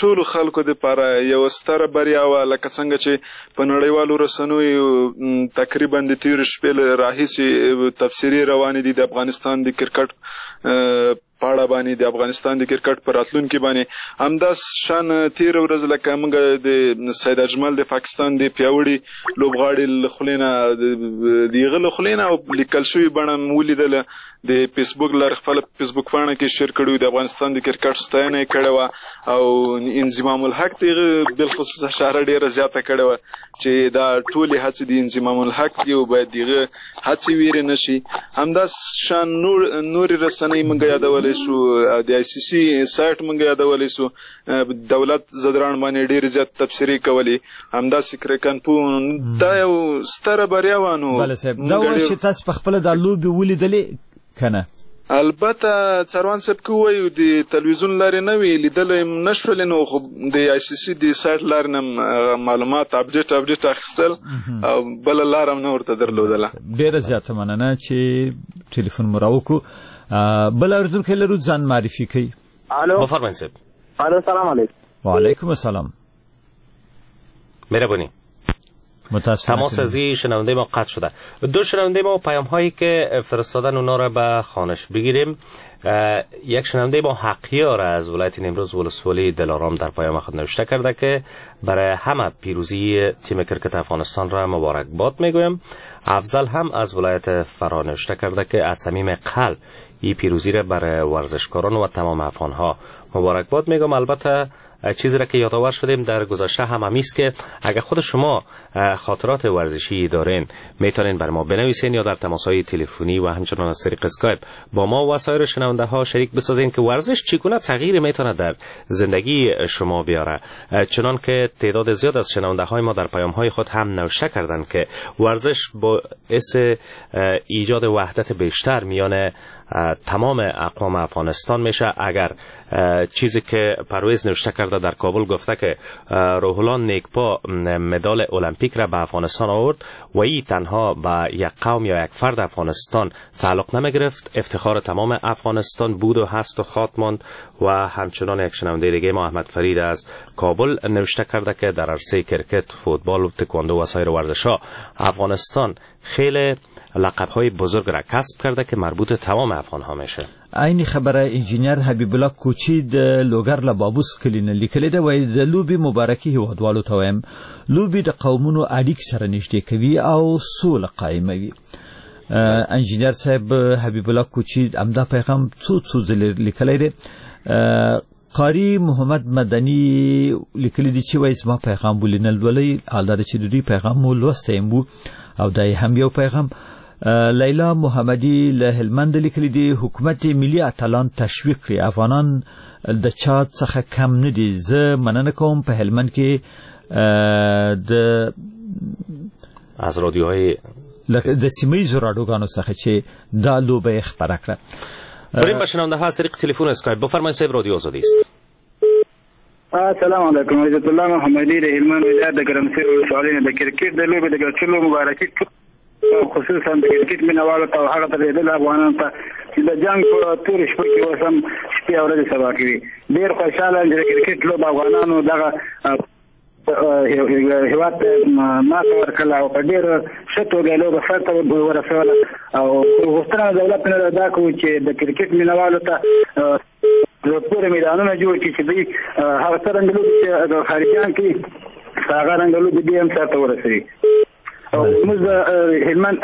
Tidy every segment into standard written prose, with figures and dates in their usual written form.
ټولو خلکو دپاره یوه ستره بریا وه. لکه څنګه چې په نړیوالو رسنیو تقریبا د تېرې شپې له راهیسې تبصرې روانې دي د افغانستان د کرکټ په اړه باندې، د افغانستان د کرکټ په راتلونکي باندې. همدا شان تېره ورځ لکه موږ د سید اجمل د پاکستان د پیاوړي لوبغاړي له خولې نه، د هغه له خولې نه او لیکل شوي بڼه مو ولیدله، د فیسبوک لارې خپل فیسبوک پاڼه کې شیر کړي، د افغانستان د کرکټ ستاینه یې کړې وه او انضمام الحق ته یې بالخصوص اشاره ډېره زیاته کړې وه چې دا ټولې هڅې د انضمام الحق دي او باید د هغه هڅې ویرې نه شي. همدا شان نورې رسنۍ موږ یادولی شو، د آی سي سي سایټ موږ یادولی شو، دولت ځدراڼ باندې ډېرې زیات تبصرې کولې، همداسې کرکنپو. دا یو ستره بریا وه. نو بله صاحب، دا وایي چې تاسو په خپله دا لوبې ولیدلې که نه؟ البته څاروان صاحب که ووایو د تلویزیون لارې نه وي لیدلی هم نه شولې، نو خو د آی سي سي د سایټ لارې نه معلومات اپډیټ اخیستل او بله لاره هم نه ورته درلودله. ډېره زیاته مننه چې ټلیفون مو راوکړو. بل اورېدونکی لرو، ځان معرفي کوي. الو، بفرمایئ صاحب. الو، سلام علیکم. وعلیکم السلام. مهربونی. متاسفانه تماس از این شنونده ما قطع شده. دو شنونده ما پیام هایی که فرستادن اونا را به خوانش بگیریم. یک شنونده ما حقیار از ولایت نیمروز ولسوالی دلارام در پیام خود نوشته کرده که برای همه پیروزی تیم کرکت افغانستان را مبارک باد میگویم. افضل هم از ولایت فراه نوشته کرده که از صمیم قلب این پیروزی را برای ورزشکاران و تمام افغان ها مبارک باد میگم. البته چیزی را که یادآور شدیم در گذشته هم همیست که اگر خود شما خاطرات ورزشی دارین میتونین بر ما بنویسین یا در تماس‌های تلفنی و همچنان از طریق اسکایپ با ما و سایر شنونده ها شریک بسازین که ورزش چگونه تغییر میتونه در زندگی شما بیاره. چنان که تعداد زیاد از شنونده های ما در پیام های خود هم نوشته کردند که ورزش باعث ایجاد وحدت بیشتر میان تمام اقوام افغانستان میشه. اگر چیزی که پرویز نوشته کرده در کابل گفته که روح الله نیکپا مدال المپیک را به افغانستان آورد و ای تنها به یک قوم یا یک فرد افغانستان تعلق نمیگرفت، افتخار تمام افغانستان بود و هست و خواهد ماند. و همچنان یک شنونده دیگه ما احمد فرید از کابل نوشته کرده که در عرصه کرکت، فوتبال و تکواندو و سایر ورزش‌ها افغانستان خیلی لقب‌های بزرگ را کسب کرده که مربوط تمام افغان‌ها میشه. عین خبره انجینر حبیب الله کوچی د لوګر له بابوس کلي نه لیکلې ده، وایي د لوبې مبارکي هیوادوالو ته وایم، لوبې د قومونو اړیک سره نږدې کوي او سوله قایموي. انجینر صاحب حبیب الله کوچی همدا پیغام څو څو ځلې لیکلی دی. قاری محمد مدني لیکلی دی چې وایي زما پیغام ولې نه لولئ، حال دا چې د دوی پیغام مو لوستی هم و او دا یې هم یو پیغام. لیلا محمدی له هلمند لیکلی دی، حکومت ملي اتلان تشویق کړي، افغانان د چا څخه کم نه دي. زه مننه کوم په هلمند کې د از رادیوهای د سیمه ییزو راډیوګانو څخه چې دا لوبه یې خپره کړه. بریم به شنونده ها از طریق تلفن اسکایپ. بفرمایید صاحب، رادیو آزادی است. السلام علیکم، عزت الله محمدی د هلمند ولایت د ګرمسیر ولسوالۍ نه د کرکټ د لوبې د ګټلو مبارکي خصوصا د کرکټ مینهوالو ته او هغه ترېدلو افغانانو ته چې د جنګ په تورې شپه کې اوس هم شپې او ورځې سبا کوي. ډېر خوشحاله یم چې د کرکټ لوبه افغانانو دغه هېواد ته ماته ورکړله او په ډېره ښه توګه یې لوبه سرته ورسوله. او غوښتنه د دولت نه دا کوو چې د کرکټ مینهوالو ته پورې میدانونه جوړ کړي چې دوی هغه څرنګه لوبې چې د خارجیان کوي هغه رنګه لوبې دوی هم سرته ورسوي. او موږ د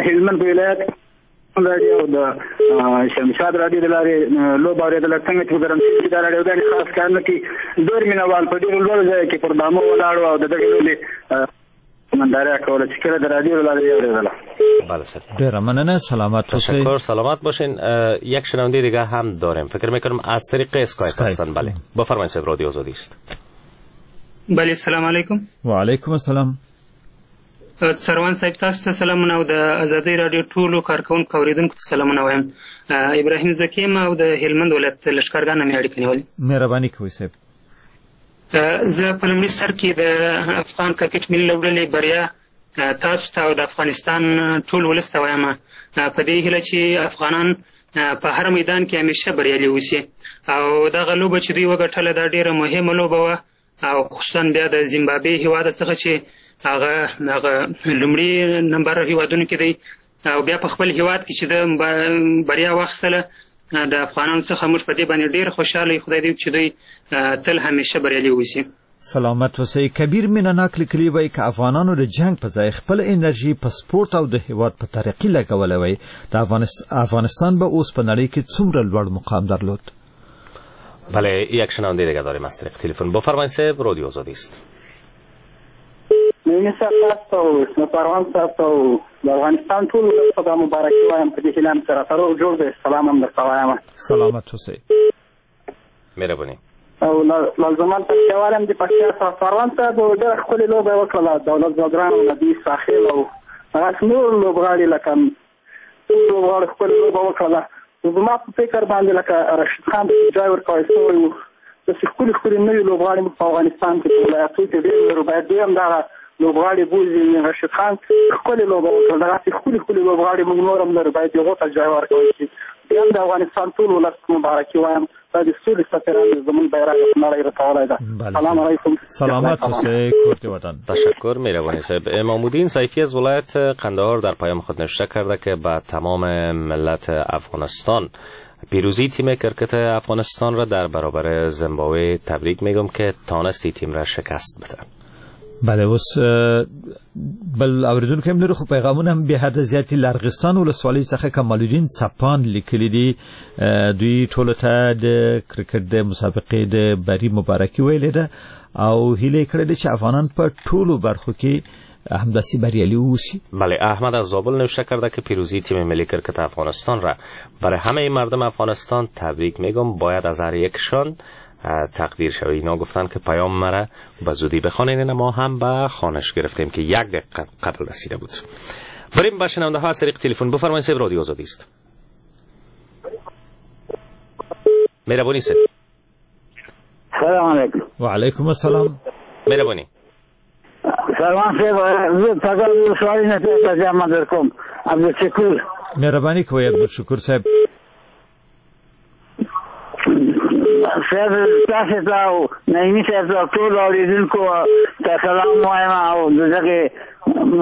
هلمند په ولایت راډیو او د شمشاد راډیو د لارې لوبه اورېدله. څنګه چې په ګرمسیر کې دا راډیوګانې خاص کار نه کوي، ډېر مینهوال په ډېرو لوړو ځایو کې پر بامو ولاړ وو او د دغې لوبې ننداره کوله چې کله د رادیو له لارې یې اورېدله. بله سر. ډېره مننه، سلامت اوسئ. تشکر، سلامت باشین. یک شنونده دیگه هم داریم، فکر میکنم از طریق اسکایپ هستن. بله بفرمایید صاحب، رادیو آزادی است. بله سلام علیکم. وعلیکم السلام. څاروان صاحب تاسو ته سلامونه او د ازادۍ راډیو ټولو کارکوونکو اورېدونکو ته سلامونه وایم. ابراهیم ذکي یم او د هلمند ولایت لښکرګاه نه مې اړیکه نیولې. مهرباني کوئ صاحب. زه په لومړي سر کې د افغان کرکټ ملي لوبډلې بریا تاسو ته او د افغانستان ټول ولس ته وایم، په دې هیله چې افغانان په هر میدان کې همیشه بریالي اوسي. او دغه لوبه چې دوی وګټله دا ډېره مهمه لوبه وه. او خصوصا بیا د زیمبابوې هیواد څخه چې هغه هغه لومړي نمبر هیوادونو کې دی او بیا په خپل هیواد کې چې د بریا واخیستله د افغانانو څخه موږ په دې باندې ډېر خوشحاله یو. خدای دې وکړي چې دوی تل همیشه بریالي اوسي. سلامت اوسئ. کبیر مینناک لیکلي وایي که افغانانو د جنګ په ځای خپل انرژي په سپورت او د هیواد په ترقي لګولی وای، د افغانستان به اوس په نړۍ کې څومره لوړ مقام درلود. بله، یک شنونده دیگه داریم از طریق تلفن. بفرمایید صاحب، رادیو آزادی است. نعیمي صاحب تاسو ته او اسمت پروان صاحب ته او د افغانستان ټول ولس ته دا مبارکي وایم، په دې هیله هم چې راته روغ جوړ دی. سلام هم درته وایم. سلامت اوسئ. مهرباني. او لازمان پکتیاوال هم د پکتیا صاحب پروان صاحب ډېره ښکلې لوبه یې وکړله، دولت ځدران او نبي ساخیل او هغه نور لوبغاړي لکه ټول لوبغاړو ښکلې لوبه وکړله. زما په فکر باندې لکه رشید خان ته ځای ورکول شوی و، داسې ښکلي ښکلي نوي لوبغاړي موږ په افغانستان کې په ولایتو کې ډېر لرو، باید دوی هم دغه لوبغاړي بوځي. رشید خان ښکلې لوبه وکړه، دغسې ښکلي ښکلي لوبغاړي موږ نور هم لرو، باید هغو ته ځای ورکول شي. بیا هم د افغانستان ټول ولس ته مبارکي وایم، دا د سولې سفیران زموږ بیرغ په نړۍ رسولی ده. سلام علیکم. سلامت اوسئ، کور دې ودان. تشکر، مهربانی صاحب. امامالدین سیفی از ولایت قندهار در پیام خود نوشته کرده که به تمام ملت افغانستان پیروزی تیم کرکت افغانستان را در برابر زیمبابوه تبریک میگم که تانست تیم را شکست بده. بله، اوس بل اوریدونکی هم لرو، خو پیغامونه هم بې حده زیات دي. له ارغستان ولسوالۍ څخه کمال الدین څپان لیکلي دي، دوی ټولو ته د کرکټ د مسابقې د بري مبارکي ویلې ده او هیله یې کړې ده چې افغانان په ټولو برخو کې همداسې بریالي اوسي. بله، احمد از زابل نوشته کرده که پیروزی تیم ملی کرکت افغانستان را برای همه مردم افغانستان تبریک میگم، باید از هر یکشان تقدیر شوی. اینا گفتن که پیام مرا به زودی بخوانید، ما هم به خوانش گرفتیم که یک دقیقه قبل رسیده بود. بریم با شنونده ها از طریق تلفن. بفرمایید صاحب، رادیو آزادی است. مهربانی صاحب. سلام علیکم. و علیکم السلام. مهربانی. سلام صاحب، زه تاګه ولسوالۍ نه پیغام درکوم، عبدالشکور. مهرباني کوئ عبدالشکور صاحب. صاحب تاسو ته او نعیمي صاحب ته ټولو اورېدونکو ته سلام وایم او د دغې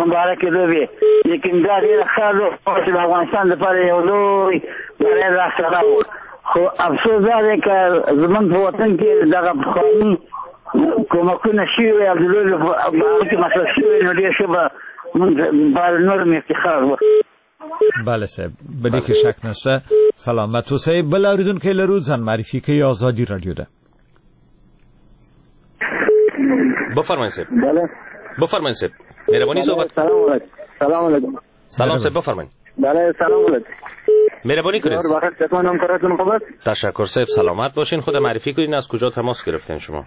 مبارکې لوبې. لیکن دا ډېره ښه لوبه چې د افغانستان لپاره یو لوی بری لاسته راوړ، خو افسوس دا دی که زموږ په وطن کې دغه پخواني کومکونه شوي وای او د لوبې په هغه کې مصرف شوي وای، نو ډېر ښه به موږ لپاره نور هم افتخار وکړو. بله صاحب، به دې کې شک نشته. سلامت اوسئ. بل اوریدونکی لرو، ځان معرفي کوي، ازادي رادیو ده. بفرمایید صاحب. بله. بفرمایید صاحب، مهربانی صحبت. سلام علیکم. سلام علیکم. سلام صاحب، بفرمایید. بله، سلام علیکم. مهربانی کنید. تشکر صاحب، سلامت باشین. خود معرفی کنین، از کجا تماس گرفتین شما؟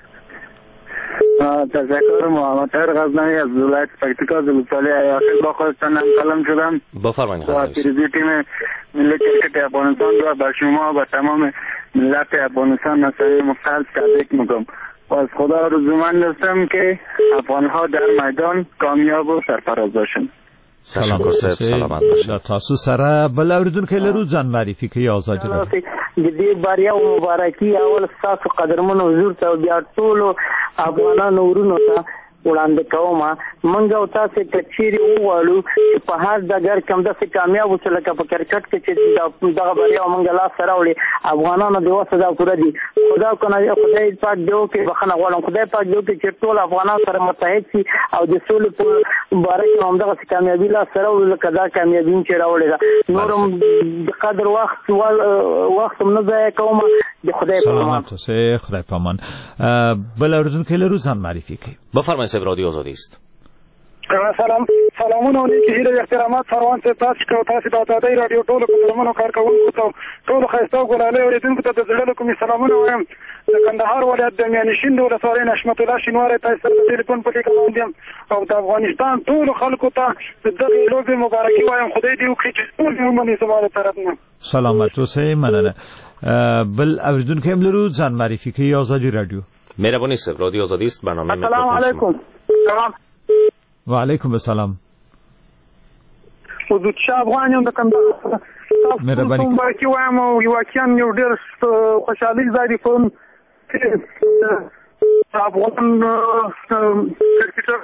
تشکر، محمد طاهر غزنوی از ولایت پکتیکا ولسوالی ایاخیل با خودتان همکلام شدم. بفرمایید. با پیروزی تیم ملی کرکت افغانستان را به شما و تمام ملت افغانستان از صمیم قلب تبریک میگم و از خدا آرزومند هستم که افغانها در میدان کامیاب و سرفراز باشند. تشکر صاحب، سلامت باشید. له تاسو سره بل اوریدونکی لرو، ځان معرفي کوي، ازادي راډیو. د دې بریا او مبارکي اول ستاسو قدرمن حضور ته او بیا ټولو افغانانو ورونو ته وړاندې کوم. موږ او تاسې که چیرې وغواړو چې په هر ډګر کې همداسې کامیاب اوسو لکه په کرکټ کې چې دغه بریا موږ لاسته راوړې، افغانانو د وسه دا پوره دي. خدا کنه خدای پاک دې وکړي، بخښنه غواړم، خدای پاک دې وکړي چې ټول افغانان سره متحد شي او د سولې په باره کې همدغسې کامیابي لاسته راوړو لکه دا کامیابي چې راوړې ده. نور هم د قدر وخت هم نه ضایع کوم. د خدای په امان. سلامت اوسئ، خدای په امان. بل اوریدونکی لرو، ځان معرفي کوي. بفرمایید صاحب، رادیو آزادی است. سلام، سلامونه او نیکې هیلې او احترامات فروان صاحب تاسو ته او تاسو د ازادۍ راډیو ټولو قدرمنو کارکوونکو ته، ټولو ښایسته او ګلالۍ اورېدونکو ته د زړه له کومې سلامونه وایم. د کندهار ولایت د میانشین د ولسوالۍ نشمت الله شینواری تاسو سره د ټلیفون په لیکه باندې یم او د افغانستان ټولو خلکو ته د دغې لوبې مبارکي وایم. خدای دې وکړي چې ټول یې ومني زما له طرف نه. سلامت اوسئ، مننه. بل اوریدونکی هم لرو، ځان معرفي کوي، ازادي راډیو. مهربانی صاحب، رادیو آزادی است، برنامه السلام علیکم. سلام. و علیکم السلام. حضور شاه افغان یم د کندهار. مهرباني مبارکي وایم او واقعا یو ډېر خوشحالي ځای دی. افغان کرکټر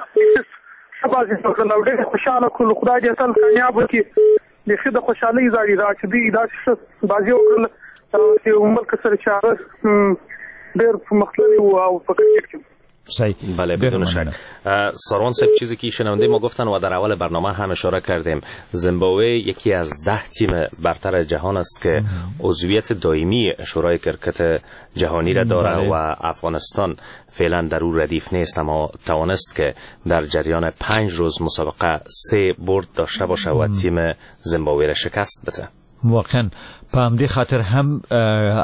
ښه بازي وکړله او ډېر یې خوشحاله کړلو. خدای دې تل کامیاب وکړي. بیخي د خوشحالۍ ځای دی دا چې دوی داسې ښه بازي وکړله چې ملک سره چې هغه ډېر پرمختللی و او په کرکټ کې. صحیح. بله بدون شک. ساروان صاحب، چیزی که شنونده ما گفتن و در اول برنامه هم اشاره کردیم، زیمبابوه یکی از 10 تیم برتر جهان است که عضویت دائمی شورای کرکت جهانی را داره و افغانستان فعلا در او ردیف نیست، اما توانست که در جریان 5 روز مسابقه 3 برد داشته باشه و تیم زیمبابوه را شکست بده. واقعا په همدې خاطر هم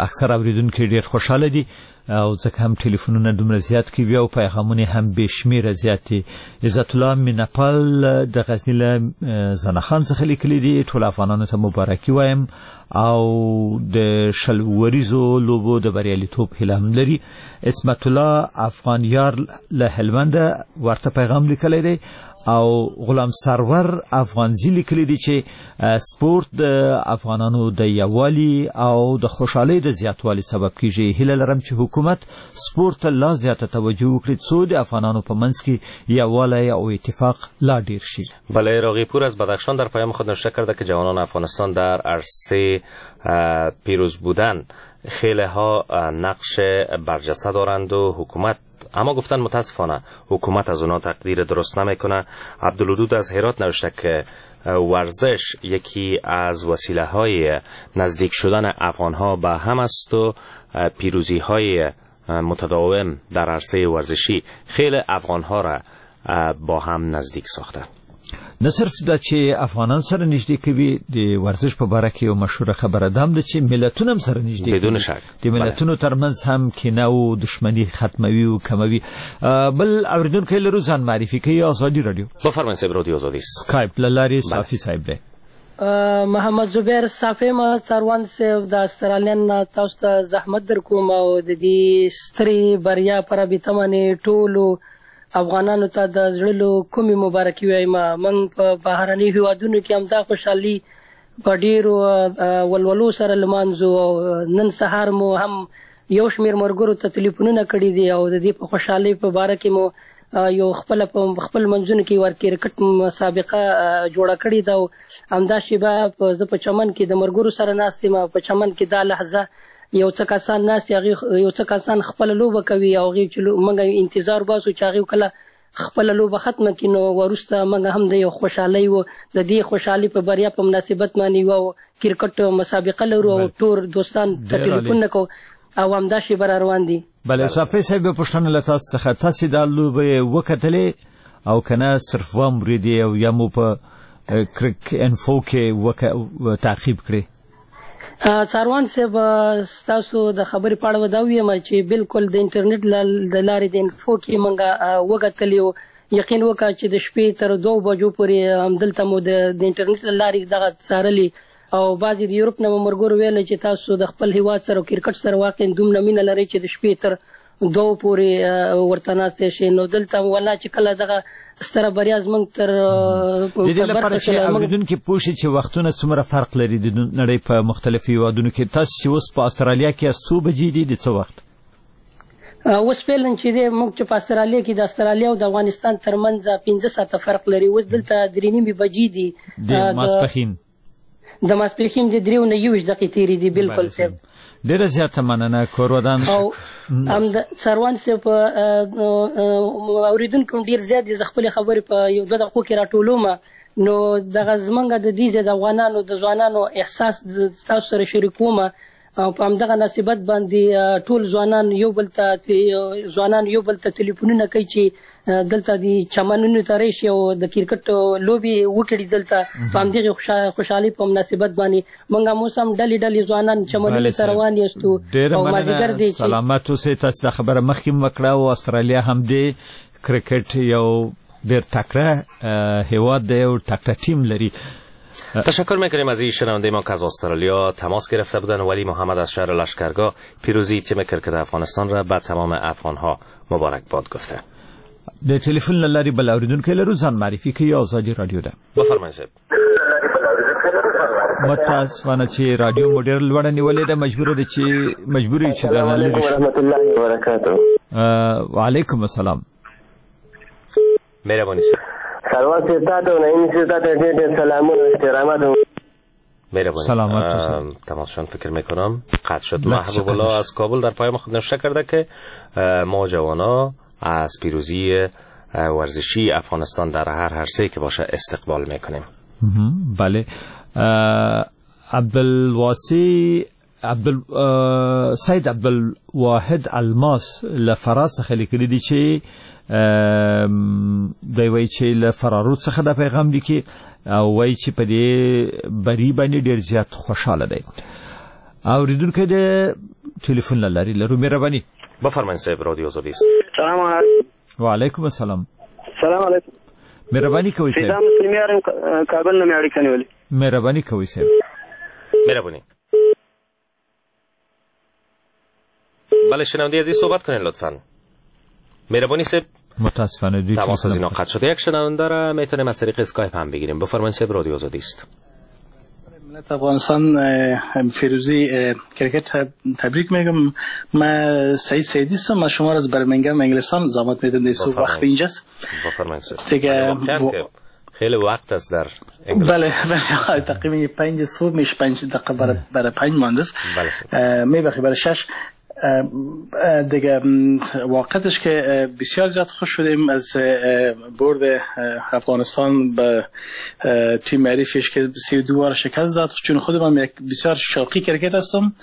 اکثر اوریدونکي ډیر خوشحاله دي او ځکه هم ټلیفونونه دومره زیات کوي او پیغامونه هم بې شمېره زیات دي. عزت الله مینهپال د غزني له زنه خان څخه لیکلي دي، ټول افغانانو ته مبارکي وایم او د 20 اوریزو لوبو د بریالیتوب هیله هم لري. عصمت الله افغانیار له هلمنده ورته پیغام لیکلی دی او غلام سرور افغانزی لیکلی دی چې سپورت د افغانانو د یووالي او د خوشحالۍ د زیاتوالي سبب کیږي. هیله لرم چې حکومت سپورت ته لا زیاته توجه وکړي څو د افغانانو په منځ کې یووالی او اتفاق لا ډیر شي. بله، راغیپور از بدخشان در پیام خود نوشته کرده که جوانان افغانستان در عرصه پیروز بودن خیلی ها نقش برجسته دارند و حکومت، اما گفتن متاسفانه حکومت از اونا تقدیر درست نمیکنه. عبدالودود از هرات نوشته که ورزش یکی از وسیله های نزدیک شدن افغان ها به هم است و پیروزی های متداوم در عرصه ورزشی خیلی افغان ها را با هم نزدیک ساخته. نه صرف دا چې افغانان سره نږدې کوي، د ورزش په باره کې یو مشهوره خبره ده هم ده چې ملتونه هم سره نږدې کوي. بدون شک د ملتونو ترمنځ هم کینه او دښمني ختموي او کموي. بل اورېدونکی لرو، ځان معرفي کوي، ازادي راډیو. بفرمایئ صاحب، رادیو ازادي. سکایپ له لارې صافي صاحب دی. محمد زبیر صافی ما څاروان صاحب د استرالیا نه تاسو ته زحمت در کوم او د دې سترې بریا په رابطه باندې ټولو افغانانو ته د زړه له کومې مبارکي وایم. موږ په بهرنیو هیوادونو کې همدا خوشحالي په ډېرو ولولو سره لمانځو او نن سهار مو هم یو شمېر ملګرو ته تلیفونونه کړي دي او د دې په خوشحالۍ په باره کې مو یو خپله په خپل منځونو کې ور کرکټ مسابقه جوړه کړې ده. او همدا شېبه زه په چمن کې د ملګرو سره ناست یم. په چمن کې دا لحظه یو څه کسان ناست دي، هغې یو څه کسان خپله لوبه کوي او هغې چې موږ انتظار باسو چې هغې کله خپله لوبه ختمه کړي نو وروسته موږ هم د یو خوشحالۍ و د دې خوشحالۍ په بریا په مناسبت باندې یوه کرکټ مسابقه لرو او ټول دوستان ته ټلیفون کوو او همدا شېبه را روان دي. بله صافي صاحب، پوښتنه له تاسو څخه، تاسې دا لوبه وکتلې او که نه صرف وامرېدې او یا مو په کرک انفو کې تعقیب کړې؟ څاروان صاحب، ستاسو د خبرې په اړه به دا ووایم چې بالکل د انټرنیټ د لارې د انفو کې موږ وکتلې او یقین وکړه چې د شپې تر 2 بجو پورې همدلته مو د انټرنیټ له لارې دغه څارلې او بعضې د یورپ نه مو ملګرو ویل چې تاسو د خپل هیواد سره او کرکټ سره واقعا دومره مینه لرئ چې د شپې تر 2 پورې ورته ناست شئ. نو دلته ولا چې کله دغه ستره بریا زموږ تر د دې لپاره چې اورېدونکي پوه شي چې وختونه څومره فرق لري د نړۍ په مختلفو هیوادونو کې، تاسو چې اوس په استرالیا کې یاست څو بجې دي، د څه وخت؟ اوس فعلا چې دی موږ چې په استرالیا کې د استرالیا او د افغانستان ترمنځ 5 ساعته فرق لري. اوس دلته 3:30 بجې دي. د ماسپښین د ماسپښین د 3:21 دقیقې تېرې دي. بالکل صاحب، ډېره زیاته مننه کورودان. او هم د څاروان صاحب اورېدونکي هم ډېر زیات دي، زه خپلې خبرې په یو 2 دقیقو کې راټولوم. نو دغه زمونږ د دې ځای د افغانانو د ځوانانو احساس ستاسو سره شریکوم او په همدغه مناسبت باندې ټول ځوانان یو بل ته ځوانان یو بل ته تلیفونونه کوي چې دلته د چمنونو ته راشي او د کرکټ لوبې وکړي. دلته په همدغې خوشحالۍ په مناسبت باندې موږ هم اوس هم ډلې ډلې ځوانان چمنونو ته روان یاستو او مازدیګر دی. سلامت اوسئ. تاسو دا خبره مخکې هم وکړه او استرالیا هم دی کرکټ یو ډېر تکړه هیواد دی او تکړه ټیم لري. تشکر میکنیم از این شنونده ما که از استرالیا تماس گرفته بودن. ولی محمد از شهر لشکرگاه پیروزی تیم کرکت افغانستان را به تمام افغانها مبارک باد گفته. د تلیفون له لارې بل اورېدونکی لرو، ځان معرفي کوي، ازادي راډیو ده. بفرمایئ صاحب. متاسفانه چې راډیو مو ډېره لوړه نیولې ده، مجبور یو چې السلام علیکم ورحمت الله وبرکاته. وعلیکم السلام. مهرباني صاحب. سلام صاحب تاته او نعیم صاحب تاته ډېر ډېر سلامونه او احترامات. مهربانی. سلامت. تماسشان فکر میکنم قطع شد. محبوب الله از کابل در پیام خود نوشته کرده که ما جوانا از پیروزی ورزشی افغانستان در هر عرصه که باشه استقبال میکنیم. بله. عبدالواسی سید عبدالواحد الماس له فراه څخه لیکلي دي چې دی وایي چې له فرارود څخه دا پیغام لیکي او وایي چې په دې بري باندې ډېر زیات خوشحاله دی. اورېدونکی د ټلیفون له لارې لرو. مهرباني. بفرمایئ صاحب، رادیو آزادي است. سلام علیکم. وعلیکم السلام. سلام علیکم. مهرباني کوئ صاحب. فیضان مسلمي یارم، کابل نه مې اړیکه نیولې. مهرباني کوئ صاحب. مهرباني. بله شنونده عزیز صحبت کنین لطفاً. مهربانی صاحب. متاسفانه دوی تماس از اینا قطع شده. یک شنونده را میتونیم از طریق اسکایپ هم بگیریم. بفرمایید صاحب، رادیو آزادی است. ملت افغانستان فیروزی کرکت تبریک میگم. من سعید سعیدی هستم، من شما را از برمنگم انگلستان زحمت میدم. در صبح وقت اینجاست. بفرمایید دیگه. خیلی وقت است در انگلستان. بله بله، تقریبا 5 صبح میشه، 5 دقیقه برای 5 مانده است. بله میبخشید برای 6 دیگه. واقعتش که بسیار زیاد خوش شدیم از برد افغانستان به تیم حریفش که 32 بار شکست داد. چون خودم یک بسیار شوقی کرکت هستم،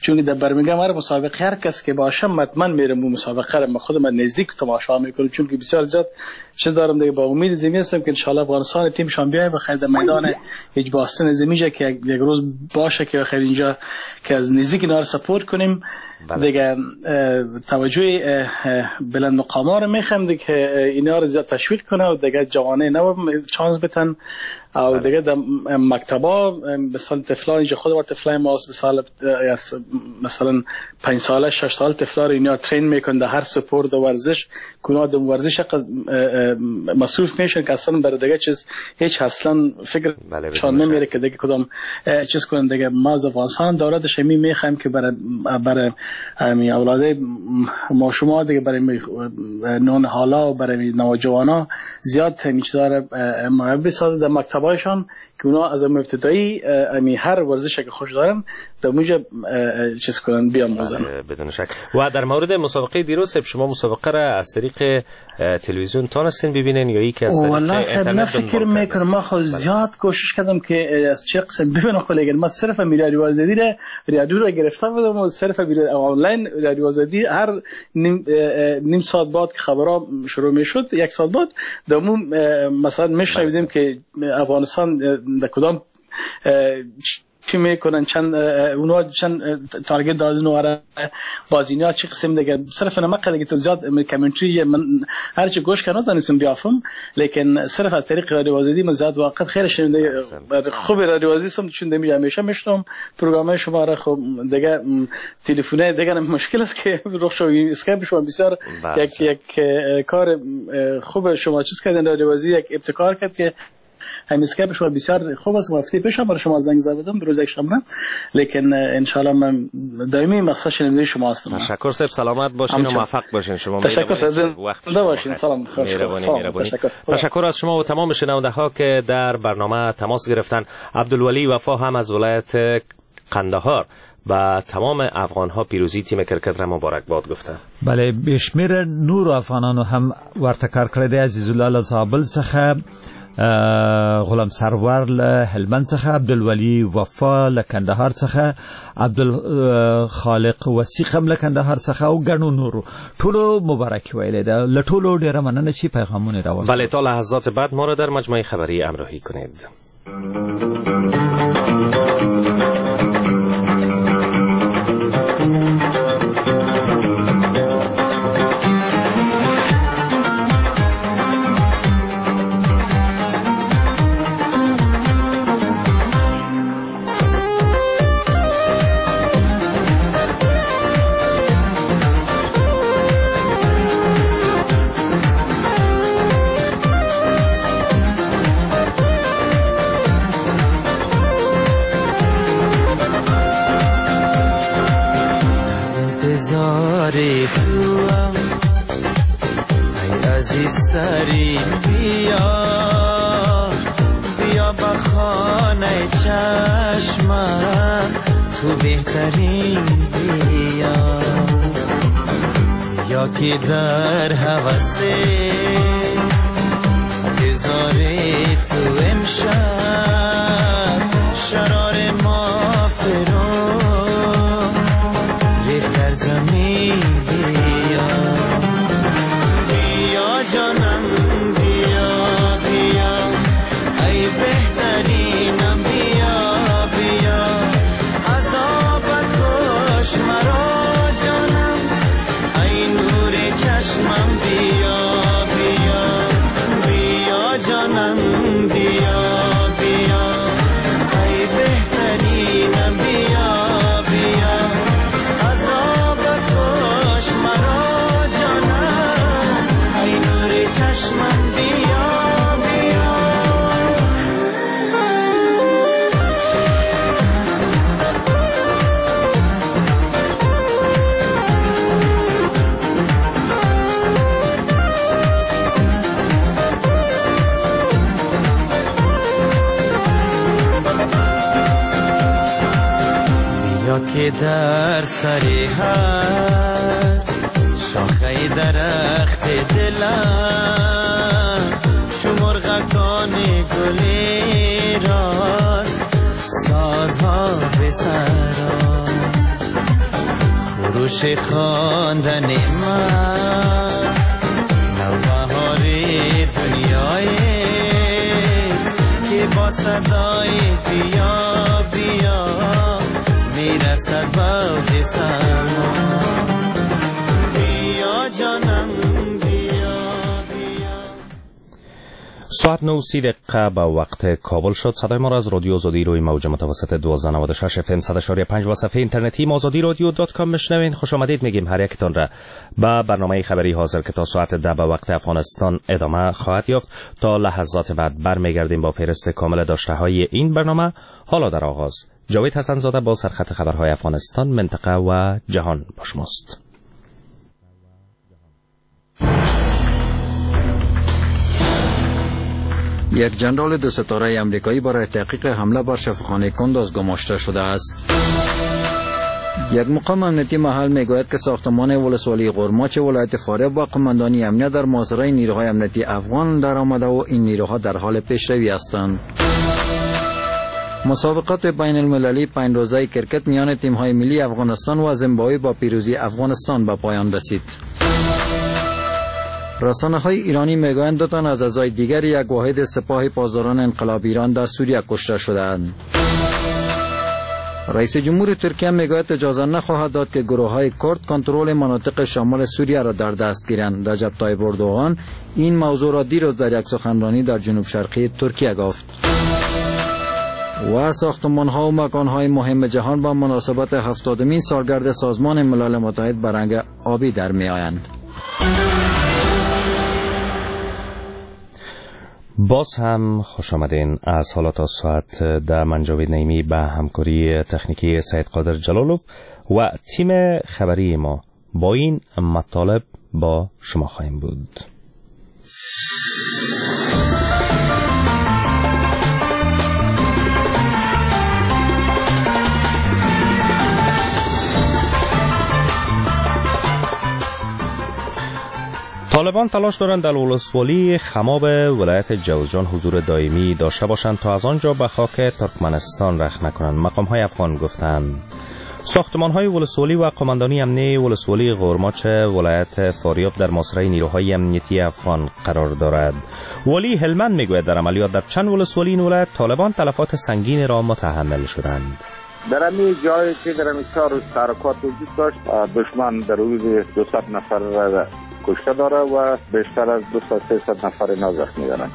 چون در برمنگام هر مسابقه هر کس که باشم حتما میرم اون مسابقه را خودم نزدیک تماشا میکنم، چون که بسیار زیاد چیز دارم دیگه. با امید زمین هستم که ان شاء الله افغانستان تیم شان بیای بخیر در میدان هیچ باستن زمینه که یک روز باشه که بخیر اینجا که از نزدیک اینا رو سپورت کنیم. دیگه توجه بلند مقاما رو میخوام دیگه اینا رو زیاد تشویق کنه و دیگه جوانه نو چانس بتن او دیگه در مکتبا مثلا طفلان اینجا خود بار طفلای ماست، مثلا 5 ساله 6 ساله طفلا رو اینا ترین میکنن در هر سپورت و ورزش کنا در ورزش مصروف میشن که اصلا برای دیگه چیز هیچ اصلا فکر شان نمیره که دیگه کدام چیز کنن. دیگه ما از افغانستان دولتش می میخوایم که برای امی اولاد ما شما دیگه برای نون حالا و برای نوجوانا زیاد همین چیزا رو محبت سازه در مکتبایشان که اونا از ابتدایی امی هر ورزش که خوش دارن در موجب چیز کنن بیاموزن. بدون شک. و در مورد مسابقه دیروز شما مسابقه را از طریق تلویزیون تانستین ببینین یا یکی از طریق اینترنت؟ فکر میکنم ما خود زیاد کوشش کردم که از چه قسم ببینم، خو لیکن ما صرف رادیو آزادی را رادیو را گرفته بودم و صرف آنلاین رادیو آزادی هر نیم ساعت بعد که خبرها شروع میشد یک ساعت بعد دمو مثلا میشنیدیم که افغانستان در کدام چی میکنن، چند اونا چند target دادن و بازینیا چه قسم دیگه. صرف نمک دیگه تو زیاد commentary من هر چی گوش کردم تانستم بیافم، لیکن صرف از طریق رادیو آزادی من زیاد وقت خیلی شنیده خوب رادیو آزادی سم چون دمی همیشه میشنم پروگرام شما را. خب دیگه تلفن دیگه مشکل است که رخ شو اسکایپ شما بسیار یک کار خوب شما چیز کردن. رادیو آزادی یک ابتکار کرد که همین اسکایپ شما بسیار خوب است. هفته پیش هم برای شما زنگ زدم روز یکشنبه، لیکن ان شاء الله من دائمی مقصد شنونده شما هستم. تشکر صاحب، سلامت باشین و موفق باشین. شما تشکر صاحب، زنده باشین. سلام. مهربانی. تشکر از شما و تمام شنونده ها که در برنامه تماس گرفتن. عبدالولی وفا هم از ولایت قندهار و تمام افغان ها پیروزی تیم کرکت را مبارک باد گفته. بله، بشمیر نور افغانانو هم ورته کار کړی دی. عزیز الله له زابل څخه، غلام سرور له هلمند څخه، عبدالولی وفا له کندهار څخه، عبدالخالق وثیق هم له کندهار څخه او ګڼو نورو ټولو مبارکي ویلې ده. له ټولو ډېره مننه چې پیغامونه راوړل. بله، تا لحظات بعد ما را در مجموعه خبری همراهی کنید. عزیزترین بیا، بیا به خانه چشمم، تو بهترین بیا. یا که در هوس انتظار تو امشب، شرار ما فرو ریخت در زمین بیا. بیا جانم بیا بیا، ای بهترینم بیا بیا، عذاب کش مرا جانم، ای نور چشمم بیا بیا. بیا جانم بیا بیا، ای بهترینم بیا بیا، عذاب کش مرا جانم، ای نور چشمم بیا بیا. بیا که در سر هر شاخه درخت دلم، چو مرغکان گلی راست سازها به سرا. خروش خواندن من نوبهار دنیایست که با صدای بیا بیا میرسد به سما. بیا جانم بیا بیا. ساعت 9:30 به وقت کابل شد. صدای ما را از رادیو آزادی روی موج متوسط 1296 اف ام 100.5 و صفحه اینترنتی آزادی رادیو.com میشنوین. خوش آمدید میگیم هر یکتان را به برنامه خبری حاضر که تا ساعت 10 به وقت افغانستان ادامه خواهد یافت. تا لحظات بعد برمیگردیم با فهرست کامل داشته های این برنامه. حالا در آغاز جاوید حسن زاده با سرخط خبرهای افغانستان، منطقه و جهان با شماست. یک جنرال دو ستاره امریکایی برای تحقیق حمله بر شفاخانه کندوز گماشته شده است. یک مقام امنیتی محل میگوید که ساختمان ولسوالی غرماچ ولایت فاریاب با قماندانی امنیت در محاصره نیروهای امنیتی افغان در آمده و این نیروها در حال پیشروی هستند. مسابقات بین المللی 5 روزه کرکت میان تیم‌های ملی افغانستان و زیمبابوه با پیروزی افغانستان به پایان رسید. رسانه‌های ایرانی میگویند 2 تن از اعضای دیگر یک واحد سپاه پاسداران انقلاب ایران در سوریه کشته شدند. رئیس جمهور ترکیه میگوید اجازه نخواهد داد که گروه‌های کرد کنترل مناطق شمال سوریه را در دست گیرند. رجب طیب اردوغان این موضوع را دیروز در یک سخنرانی در جنوب شرقی ترکیه گفت. و ساختمان‌ها و مکان‌های مهم جهان با مناسبت 70مین سالگرد سازمان ملل متحد به رنگ آبی در می‌آیند. باز هم خوش آمدین. از حالا تا ساعت 10 من جاوید نعیمی به همکاری تکنیکی سید قادر جلالوف و تیم خبری ما با این مطالب با شما خواهیم بود. طالبان تلاش دارند در ولسوالی خماب ولایت جوزجان حضور دائمی داشته باشند تا از آنجا به خاک ترکمنستان رخنه کنند. مقام های افغان گفتند ساختمان های ولسوالی و قماندانی امنی ولسوالی غرماچ ولایت فاریاب در محاصره نیروهای امنیتی افغان قرار دارد. والی هلمند میگوید در عملیات در چند ولسوالی این ولایت طالبان تلفات سنگین را متحمل شدند. در همین جایی که در همین 4 روز تحرکات وجود داشت، دشمن در حدود 200 نفر را کشته داره و بیشتر از 200-300 نفر زخمی دارند.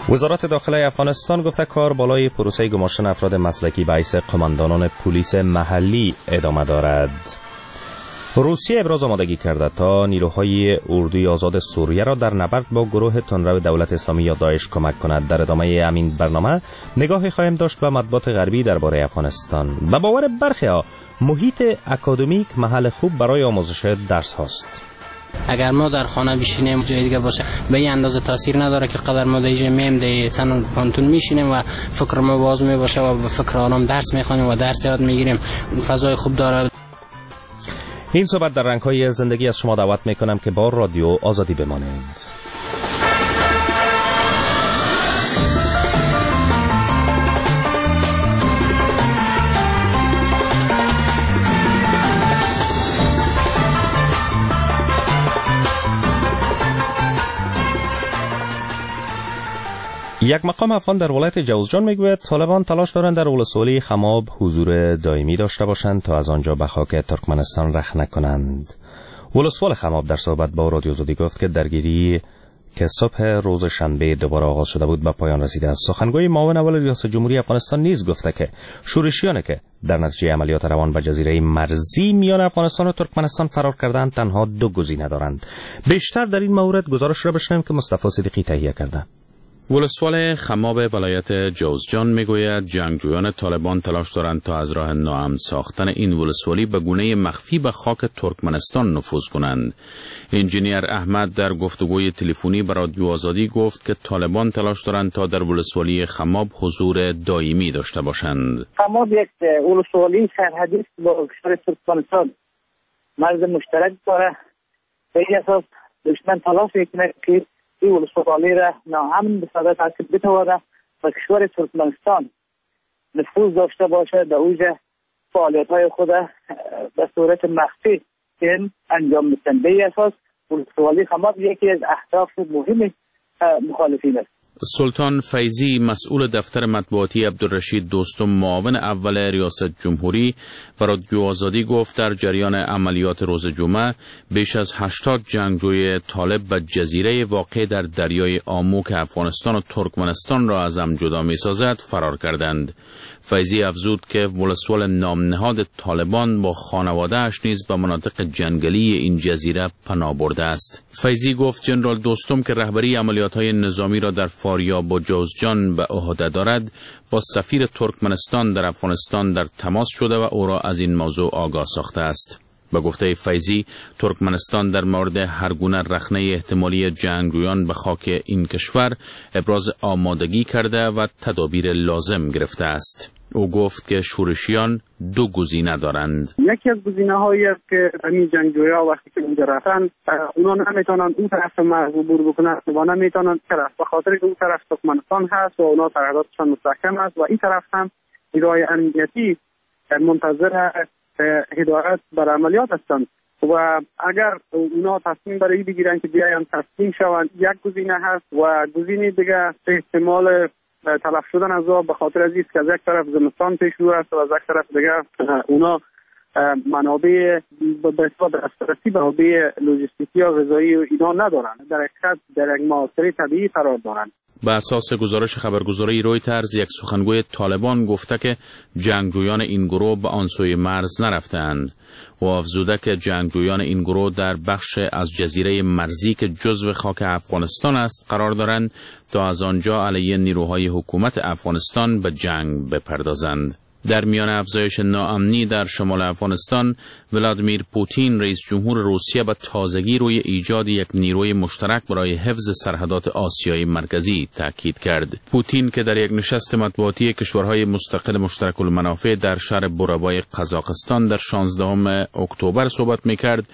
وزارت داخله افغانستان گفته کار بالای پروسه گماشتن افراد مسلکی به حیث قماندانان پلیس محلی ادامه دارد. روسیه ابراز آمادگی کرده تا نیروهای اردوی آزاد سوریه را در نبرد با گروه تندرو دولت اسلامی یا داعش کمک کند. در ادامه همین برنامه نگاهی خواهیم داشت به مطبوعات غربی درباره افغانستان. به باور برخی ها محیط اکادمیک محل خوب برای آموزش درس هاست. اگر ما در خانه بشینیم جای دیگه باشه به این اندازه تاثیر نداره که قدر ما در اینجا میم در چند پانتون میشینیم و فکر ما باز میباشه و به فکر آرام درس میخوانیم و درس یاد میگیریم. فضای خوب داره. این صحبت در رنگ‌های زندگی از شما دعوت میکنم که با رادیو آزادی بمانید. یک مقام افغان در ولایت جوزجان میگوید طالبان تلاش دارند در ولسوالی خماب حضور دائمی داشته باشند تا از آنجا به خاک ترکمنستان رخ نکنند. ولسوال خماب در صحبت با رادیو آزادی گفت که درگیری که صبح روز شنبه دوباره آغاز شده بود به پایان رسیده است. سخنگوی معاون اول ریاست جمهوری افغانستان نیز گفته که شورشیان که در نتیجه عملیات روان به جزیره مرزی میان افغانستان و ترکمنستان فرار کردند تنها دو گزینه دارند. بیشتر در این مورد گزارش را بشنویم که مصطفی صدیقی تهیه کرده. ولسوال خماب ولایت جوزجان میگوید جنگجویان طالبان تلاش دارند تا از راه ناامن ساختن این ولسوالی به گونه مخفی به خاک ترکمنستان نفوذ کنند. انجینیر احمد در گفتگوی تلفنی به رادیو آزادی گفت که طالبان تلاش دارند تا در ولسوالی خماب حضور دائمی داشته باشند. خماب یک ولسوالی سرحدی است با کشور ترکمنستان، مرز مشترک داره. به این اساس دشمن تلاش میکنه که این ولسوالی را ناامن بسازد تا که بتواند به کشور ترکمنستان نفوذ داشته باشه، در اوج فعالیت‌های خود به صورت مخفی انجام بدن. به این اساس ولسوالی خماب یکی از اهداف مهم مخالفین است. سلطان فیضی مسئول دفتر مطبوعاتی عبدالرشید دوستم معاون اول ریاست جمهوری و رادیو آزادی گفت در جریان عملیات روز جمعه بیش از 80 جنگجوی طالب به جزیره واقع در دریای آمو که افغانستان و ترکمنستان را از هم جدا می‌سازد فرار کردند. فیضی افزود که ولسوال نامنهاد طالبان با خانواده‌اش نیز به مناطق جنگلی این جزیره پناه برده است. فیضی گفت جنرال دوستم که رهبری عملیات‌های نظامی را در فاریاب و جوزجان به عهده دارد با سفیر ترکمنستان در افغانستان در تماس شده و او را از این موضوع آگاه ساخته است. به گفته فیضی ترکمنستان در مورد هر گونه رخنه احتمالی جنگجویان به خاک این کشور ابراز آمادگی کرده و تدابیر لازم گرفته است. او گفت که شورشیان دو گزینه دارند. یکی از گزینه‌هایی است که همین جنگجویا وقتی که اونجا رفتن اونا نمیتونن اون طرف مرز عبور بکنن و نمیتونن طرف به خاطر که اون طرف ترکمنستان هست و اونا سرحداتشان مستحکم است و این طرف هم نیروهای امنیتی منتظر هدایت بر عملیات هستند و اگر اونا تصمیم برای بگیرن که بیاین تسلیم شوند یک گزینه هست و گزینه دیگه احتمال تلف شدن از آب به خاطر از اینکه از یک طرف زمستان پیش رو است و از یک طرف دیگه اونا منابع به اصطلاح دسترسی به منابع لوجستیکی یا غذایی و اینا ندارن، در حقیقت در یک محاصره طبیعی قرار دارند. به اساس گزارش خبرگزاری رویترز یک سخنگوی طالبان گفته که جنگجویان این گروه به آن سوی مرز نرفتند و افزوده که جنگجویان این گروه در بخش از جزیره مرزی که جزو خاک افغانستان است قرار دارند تا از آنجا علیه نیروهای حکومت افغانستان به جنگ بپردازند. در میان افزایش ناامنی در شمال افغانستان، ولادیمیر پوتین رئیس جمهور روسیه به تازگی روی ایجاد یک نیروی مشترک برای حفظ سرحدات آسیای مرکزی تاکید کرد. پوتین که در یک نشست مطبوعاتی کشورهای مستقل مشترک المنافع در شهر بورابای قزاقستان در 16 اکتبر صحبت می‌کرد،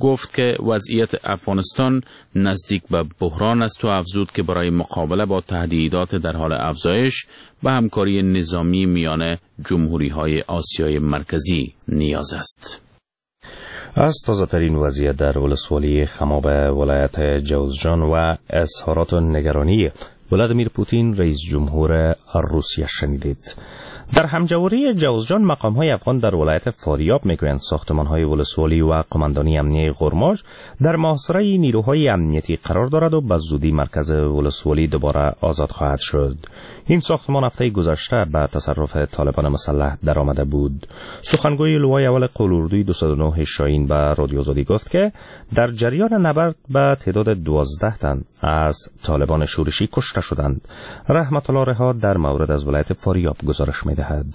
گفت که وضعیت افغانستان نزدیک به بحران است و افزود که برای مقابله با تهدیدات در حال افزایش به همکاری نظامی میان جمهوری‌های آسیای مرکزی نیاز است. از تازه‌ترین وضعیت در ولسوالی خماب ولایت جوزجان و اظهارات نگرانی ولادیمیر پوتین رئیس جمهور روسیه شنیدید. در همجواری جوزجان مقام‌های افغان در ولایت فاریاب میگویند ساختمان‌های ولسوالی و قماندانی امنیه غرماش در محاصره نیروهای امنیتی قرار دارد و به زودی مرکز ولسوالی دوباره آزاد خواهد شد. این ساختمان هفته گذشته به تصرف طالبان مسلح درآمده بود. سخنگوی لوای اول قول اردوی 209 شاهین به رادیو آزادی گفت که در جریان نبرد به تعداد 12 تن از طالبان شورشی کشته شدند. رحمت الله رها در مورد از ولایت فاریاب گزارش می‌دهد.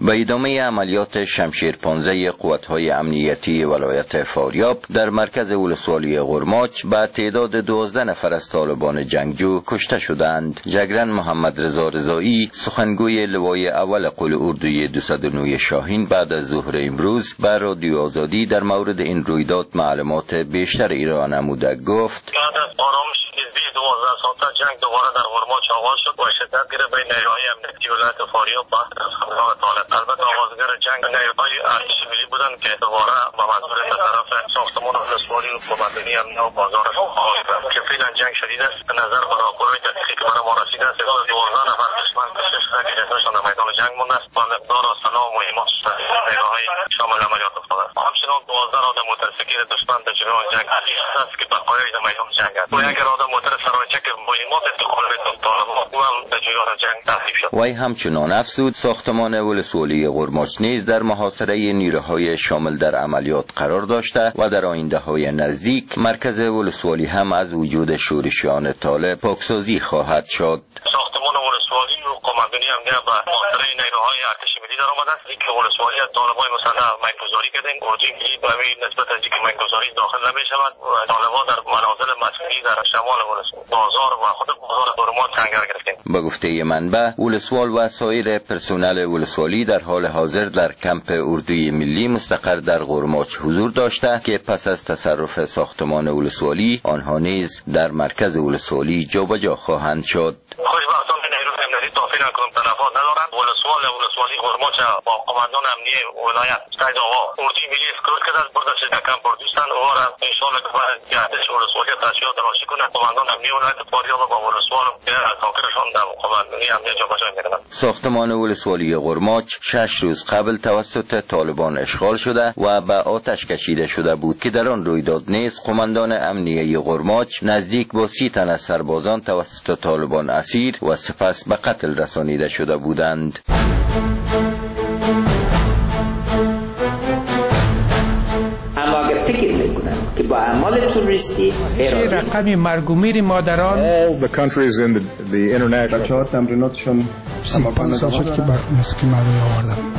به ادامه عملیات شمشیر 15 قوت‌های امنیتی ولایت فاریاب در مرکز ولسوالی غرماچ به تعداد 12 نفر از طالبان جنگجو کشته شدند. جگرن محمد رضا رضایی، سخنگوی لوای اول قول اردوی 209 شاهین، بعد از ظهر امروز بر رادیو آزادی در مورد این رویداد معلومات بیشتر ارائه نموده گفت: بعد از آرامش نسبی 12 ساعته جنگ دوباره در غرماچ آغاز شد و شدت گرفت بین نیروهای امنیتی ولایت فاریاب و همراه طالب. البته آغازگر جنگ نیروهای ارتش ملی بودند که دوباره به منظور به طرف ساختمان ولسوالی و قماندانی امنیه و بازار آغاز کرد که فعلا جنگ شدید است. به نظر به راپورهای دقیقی که برای ما رسیده است، 12 نفر دشمن کشته شده که جسدشان در میدان جنگ مانده است و مقدار سلاح و مهمات نیروهای شامل عملیات افتاده است. همچنان 12 آدم موتورسیکلت دشمن در جریان جنگ است که بقایای در میدان جنگ است و یک آدم موتور سرایچه که مهمات انتقال میداد طالبان او هم در جریان جنگ تخریب شد. وی همچنان افزود ساختمان ولسوالی غرماچ نیز در محاصره نیروهای شامل در عملیات قرار داشته و در آینده های نزدیک مرکز ولسوالی هم از وجود شورشیان طالب پاکسازی خواهد شد. ساختمان ولسوالی و قماندانی امنیه به محاصره نیروهای ارتش ملی در آمده است. اینکه ولسوالی از طالبان مسلح مینگذاری کردیم، اردوی ملی به همین نسبت از اینکه مینگذاری داخل نمی‌شود و طالبان در منازل مسکونی در شمال ولسوالی بازار و خود بازار غرماچ سنگر گرفتیم. به گفته منبع، ولسوال و سایر پرسنل ولسوالی در حال حاضر در کمپ اردوی ملی مستقر در غرماچ حضور داشته که پس از تصرف ساختمان ولسوالی آنها نیز در مرکز ولسوالی جابجا خواهند شد. خوشبختانه نیروی امنیتی تا فعلا کدام تلفات ندارند. ولسوال ولسوالی غرماچ با قماندان امنیه ولایت سید آقا اردوی ملی اسکورت کرده است، بردش در کمپ اردوستان او را ان شاء الله که بعد ارتش ولسوالی تشکیلات راشی کنه. قماندان امنیه ولایت فاریاب با ولسوال ساکرشان در قماندانی امنیه جابجا می‌کنند. ساختمان ولسوالی غرماچ 6 روز قبل توسط طالبان اشغال شده و به آتش کشیده شده بود که در آن رویداد نیز قماندان امنیه غرماچ نزدیک با 30 تن از سربازان توسط طالبان اسیر و سپس به قتل رسانیده شده بودند. اما اگر فکر میکنند که با اعمال تروریستی رقم مرگ و میر مادران بچه‌ها تمریناتشون 35 سال شد که به موسیقی مردمی آوردم.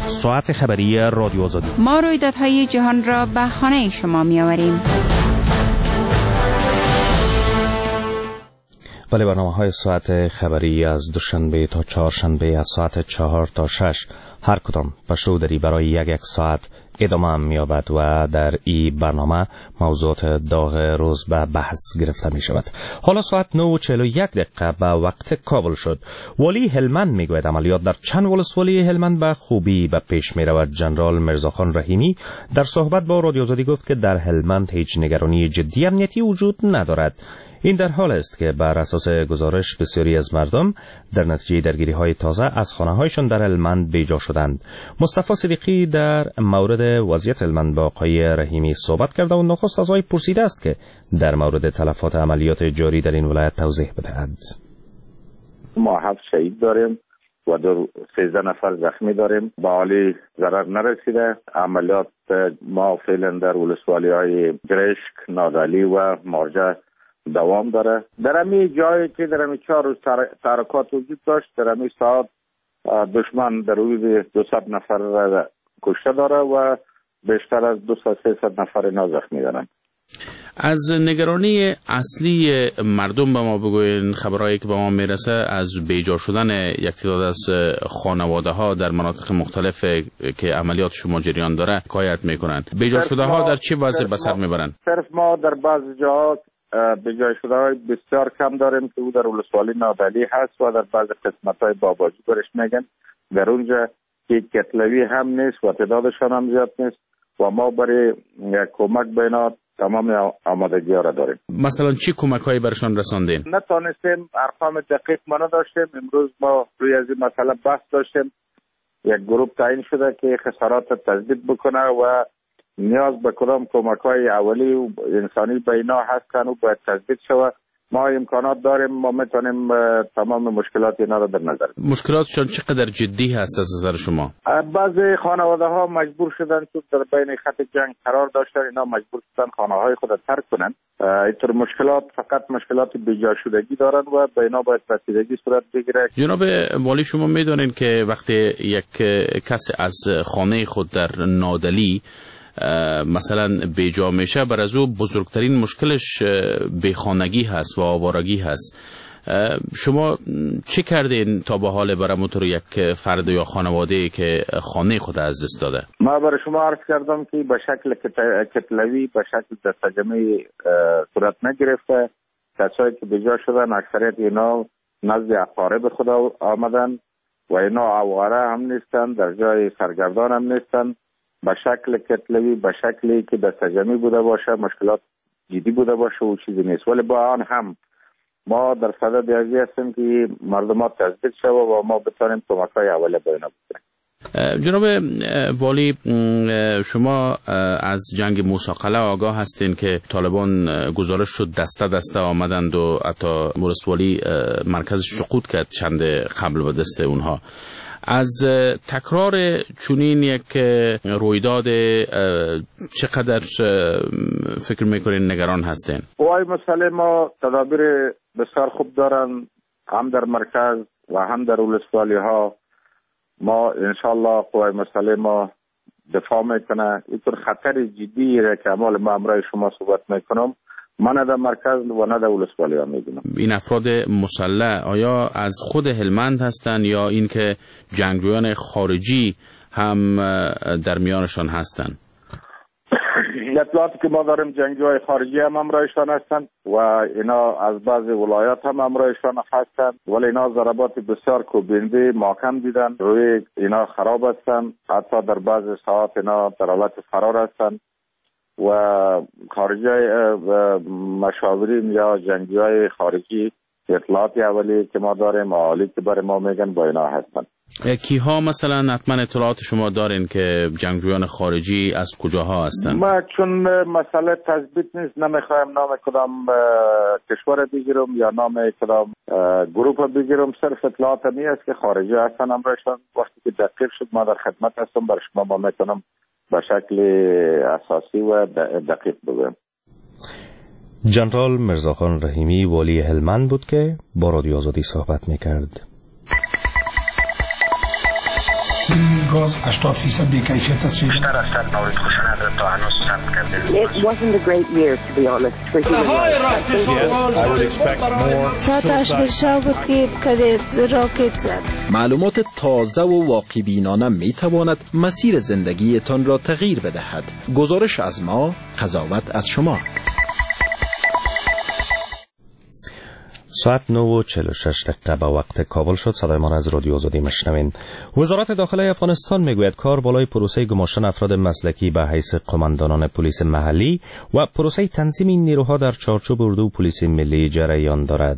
ساعت خبری رادیو آزادی. ما رویدادهای جهان را به خانه شما میآوریم. ولی برنامه های ساعت خبری از دوشنبه تا چهارشنبه از ساعت 4 تا 6 هر کدام پشودری برای یک ساعت ادامه می‌یابد و در این برنامه موضوعات داغ روز به بحث گرفته می شود. حالا ساعت 9:41 به وقت کابل شد. والی هلمند میگوید عملیات در چند ولسوالی هلمند به خوبی به پیش می رود. جنرال میرزاخان رحیمی در صحبت با رادیو آزادی گفت که در هلمند هیچ نگرانی جدی امنیتی وجود ندارد. این در حال است که بر اساس گزارش بسیاری از مردم در نتیجه درگیری‌های تازه از خانه‌هایشان در هلمند بیجا شدند. مصطفی صدیقی در مورد وضعیت هلمند با آقای رحیمی صحبت کرده و نخست از آقای پرسیده است که در مورد تلفات عملیات جاری در این ولایت توضیح بدهد. ما 7 شهید داریم و 13 نفر زخمی داریم. به عالی ضرر نرسیده. عملیات ما فعلا در ولسوالی‌های گرشک، نادعلی و مارجه دوام داره. در همین جایی که در همین 4 روز تحرکات وجود داشت، در همین ساعت دشمن در حدود 200 نفر را کشته داره و بیشتر از 200-300 نفر اینا زخمی دارن. از نگرانی اصلی مردم به ما بگوین. خبرهایی که به ما میرسه از بیجا شدن یک تعداد از خانواده ها در مناطق مختلف که عملیات شما جریان داره حکایت میکنن. بیجا شده ها در چه وضع به سر میبرن؟ صرف ما در بعض جاها بیجای شده های بسیار کم داریم که او در ولسوالی نادعلی هست و در بعض قسمت های باباجی برش میگن. در اونجا که کتلوی هم نیست و تعدادشان هم زیاد نیست و ما برای کمک به اینا تمام آمادگی ها را داریم. مثلا چی کمک هایی برشان رساندین؟ نتانستیم، ارقام دقیق ما نداشتیم. امروز ما روی از این مسئله بحث داشتیم. یک گروه تعیین شده که خسارات تثبیت بکنه و نیاز به کدام کمک های اولی و انسانی به اینا هستن و باید تثبیت شود. ما امکانات داریم، ما میتونیم تمام مشکلات اینا را در نظر. مشکلاتشان چقدر جدی هست از نظر شما؟ بعضی خانواده ها مجبور شدن چون در بین خط جنگ قرار داشتن، اینا مجبور شدن خانه های خود را ترک کنن. اینطور مشکلات فقط مشکلات بیجا شدگی دارن و به اینا باید رسیدگی صورت بگیره. جناب والی، شما میدونین که وقتی یک کس از خانه خود در نادلی مثلا بیجا میشه، بر از او بزرگترین مشکلش بیخانگی هست و آوارگی هست. شما چه کردین تا به حال برای موتور یک فرد یا خانواده که خانه خود از دست داده؟ ما برای شما عرض کردم که به شکل کتلوی، به شکل دستجمعی صورت نگرفته. کسایی که بیجا شدن اکثریت اینا نزد اقارب خود آمدن و اینا آواره هم نیستن، در جای سرگردان هم نیستن. به شکل کتلوی، به شکلی که دستجمعی بوده باشه، مشکلات جدی بوده باشه و چیزی نیست. ولی با آن هم ما در صدد ازی هستیم که مردمات تثبیت شوه و ما بتانیم کمک‌های اولیه به اینا بکنیم. جناب والی، شما از جنگ موسی قلعه آگاه هستین که طالبان گزارش شد دسته دسته آمدند و حتی ولسوالی مرکز سقوط کرد چند قبل به دست اونها. از تکرار چنین یک رویداد چقدر فکر میکنین نگران هستین؟ قوای مسلح ما تدابیر بسیار خوب دارن، هم در مرکز و هم در ولسوالی ها. ما انشالله قوای مسلح ما دفاع میکنه. اینطور خطر جدی را که اعمال ما امرای شما صحبت میکنم، من نه در مرکز و نه در ولسوالی ها میدونم. این افراد مسلح آیا از خود هلمند هستند یا اینکه جنگجویان خارجی هم در میانشان هستند؟ اطلاعاتی که ما داریم جنگجوهای خارجی هم همراهشان هستند و اینا از بعض ولایات هم همراهشان هستند، ولی اینا ضربات بسیار کوبنده محکم دیدن، روی اینا خراب هستند، حتی در بعض ساعات اینا در حالت فرار هستند و خارجی مشاورین یا جنگجوهای خارجی اطلاعات اولی که ما داریم، عالی که برای ما میگن با اینا هستند. کیها مثلا حتما اطلاعات شما دارین که جنگجویان خارجی از کجاها هستند؟ ما چون مسئله تثبیت نیست، نمیخوایم نام کدام کشور بگیرم یا نام کدام گروه بگیرم. صرف اطلاعات می است که خارجی هستن امرشان. وقتی که دقیق شد ما در خدمت هستم، برای شما ما میتونم به شکل اساسی و دقیق بگویم. جنرال میرزاخان رحیمی والی هلمند بود که با رادیو آزادی صحبت میکرد. گاز 80% بی‌کیفیت است. بیشتر از 100 مورد خشونت تا هنوز ثبت کرده. It wasn't a great year to be honest for human rights. ساعت 8 شب بود که راکت زد. معلومات تازه و واقع بینانه می تواند مسیر زندگیتان را تغییر بدهد. گزارش از ما، قضاوت از شما. ساعت 9:46 به وقت کابل شد. صدای ما از رادیو آزادی مشنوین. وزارت داخله افغانستان میگوید کار بالای پروسه گماشتن افراد مسلکی به حیث قماندانان پلیس محلی و پروسه تنظیم این نیروها در چارچوب اردو پلیس ملی جریان دارد.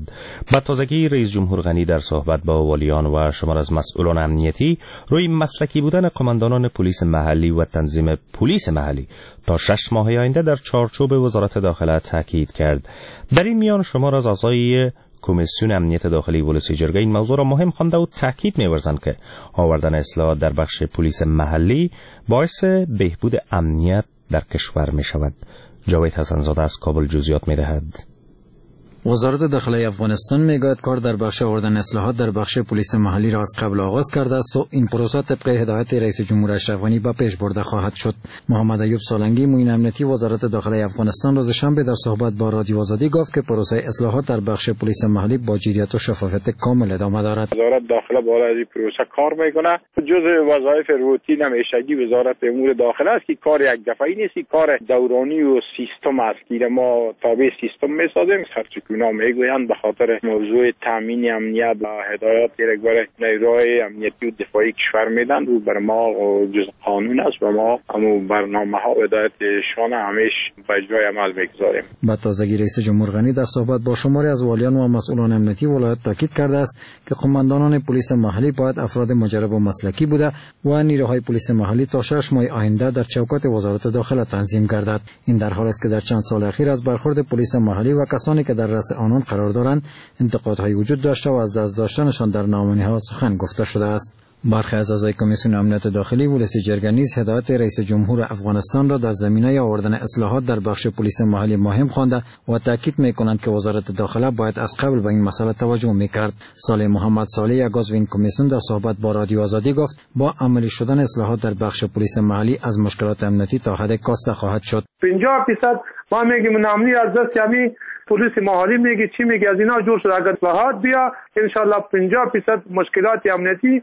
به تازگی رئیس جمهور غنی در صحبت با والیان و شمار از مسئولان امنیتی روی مسلکی بودن قماندانان پلیس محلی و تنظیم پلیس محلی تا 6 ماه آینده در چارچوب وزارت داخله تاکید کرد. در این میان شمار از اعضای کمیسیون امنیت داخلی ولسی جرگه این موضوع را مهم خوانده و تاکید می‌ورزند که آوردن اصلاحات در بخش پلیس محلی باعث بهبود امنیت در کشور می‌شود. جاوید حسن‌زاده از کابل جزئیات می‌دهد. وزارت داخله افغانستان میگوید کار در بخش آوردن اصلاحات در بخش پلیس محلی را از قبل آغاز کرده است و این پروسه طبق هدایت رئیس جمهور اشرف غنی به پیش برده خواهد شد. محمد ایوب سالنگی معین امنیتی وزارت داخله افغانستان روز شنبه در صحبت با رادیو آزادی گفت که پروسه اصلاحات در بخش پلیس محلی با جدیت و شفافیت کامل ادامه دارد. وزارت داخله بالای این پروسه کار میکنه. جزء وظایف روتین همیشگی وزارت امور داخله است که کار یک دفعه‌ای نیست، کار دورانی و سیستم است که ما تابع سیستم میسازیم. اونا میگویند به خاطر موضوع تامین امنیت و هدایات که برای نیروهای امنیتی و دفاعی کشور میدن و بر ما جز قانون است و ما همو برنامه ها و هدایت شان همیش به اجرای عمل میگذاریم. به تازگی رئیس جمهور غنی در صحبت با شماری از والیان و مسئولان امنیتی ولایت تاکید کرده است که قماندانان پلیس محلی باید افراد مجرب و مسلکی بوده و نیروهای پلیس محلی تا 6 ماه آینده در چوکات وزارت داخله تنظیم گردد. این در حال است که در چند سال اخیر از برخورد پلیس محلی و کسانی که در رأس آنان قرار دارند انتقادهای وجود داشته و از دست داشتنشان در ناامنی‌ها سخن گفته شده است. برخی از اعضای کمیسیون امنیت داخلی ولسی جرگه نیز هدایت رئیس جمهور افغانستان را در زمینه آوردن اصلاحات در بخش پلیس محلی مهم خوانده و تاکید میکنند که وزارت داخله باید از قبل به این مسئله توجه میکرد. صالح محمد صالح، یک عضو این کمیسیون، در صحبت با رادیو آزادی گفت با عملی شدن اصلاحات در بخش پلیس محلی از مشکلات امنیتی تا حد کاسته خواهد شد. 50% ما میگیم ناامنی از دست یعنی پلیس محلی میگه چی میگه از اینا جور شد. اگر اصلاحات بیا ان شاء الله 50% مشکلات امنیتی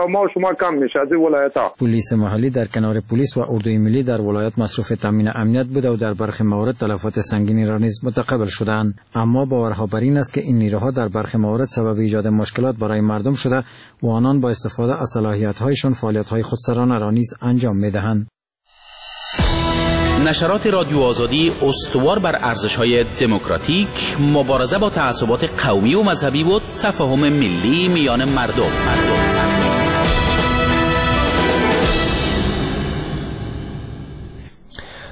ما شما کم میشه از ولایت ها. پلیس محلی در کنار پلیس و اردوی ملی در ولایت مصروف تامین امنیت بوده و در برخی موارد تلفات سنگینی را نیز متقبل شدند. اما باورها بر این است که این نیروها در برخی موارد سبب ایجاد مشکلات برای مردم شده و آنان با استفاده از صلاحیت‌هایشان فعالیت‌های خودسرانه را نیز انجام می‌دهند. نشرات رادیو آزادی استوار بر ارزش‌های دموکراتیک، مبارزه با تعصبات قومی و مذهبی و تفاهم ملی میان مردم.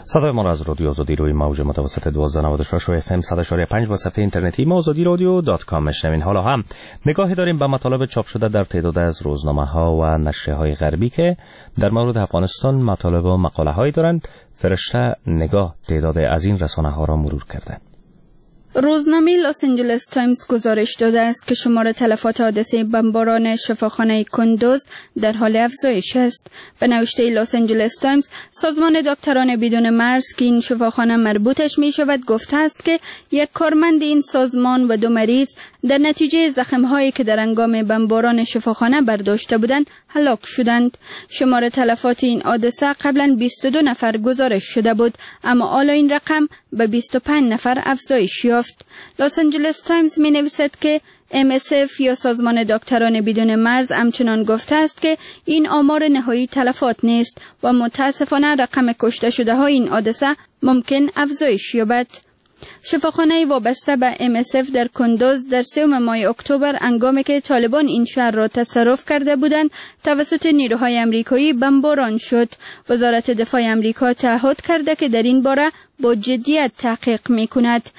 صدای ما را از رادیو آزادی روی موج متوسط 1296 و FM 100.5 و صفحه اینترنتی ما آزادی رادیو .com میشنوین. حالا هم نگاهی داریم به مطالب چاپ شده در تعداد از روزنامه ها و نشریه های غربی که در مورد افغانستان مطالب و مقاله هایی دارند. فرشته نگاه تعداد از این رسانه ها را مرور کرده. روزنامه لس آنجلس تایمز گزارش داده است که شمار تلفات حادثه بمباران شفاخانه کندوز در حال افزایش است. به نوشته لس آنجلس تایمز، سازمان دکتران بدون مرز که این شفاخانه مربوطش می شود گفته است که یک کارمند این سازمان و 2 مریض در نتیجه زخم‌هایی که در هنگام بمباران شفاخانه برداشته بودند هلاک شدند. شمار تلفات این حادثه قبلا 22 نفر گزارش شده بود، اما حالا این رقم به 25 نفر افزایش یافت. لس آنجلس تایمز می نویسد که MSF یا سازمان دکتران بدون مرز همچنان گفته است که این آمار نهایی تلفات نیست و متاسفانه رقم کشته شده های این حادثه ممکن افزایش یابد. شفاخانه وابسته به MSF در کندوز در 3 ماه اکتبر، هنگامی که طالبان این شهر را تصرف کرده بودند، توسط نیروهای امریکایی بمباران شد. وزارت دفاع امریکا تعهد کرده که در این باره با جدیت تحقیق می کند.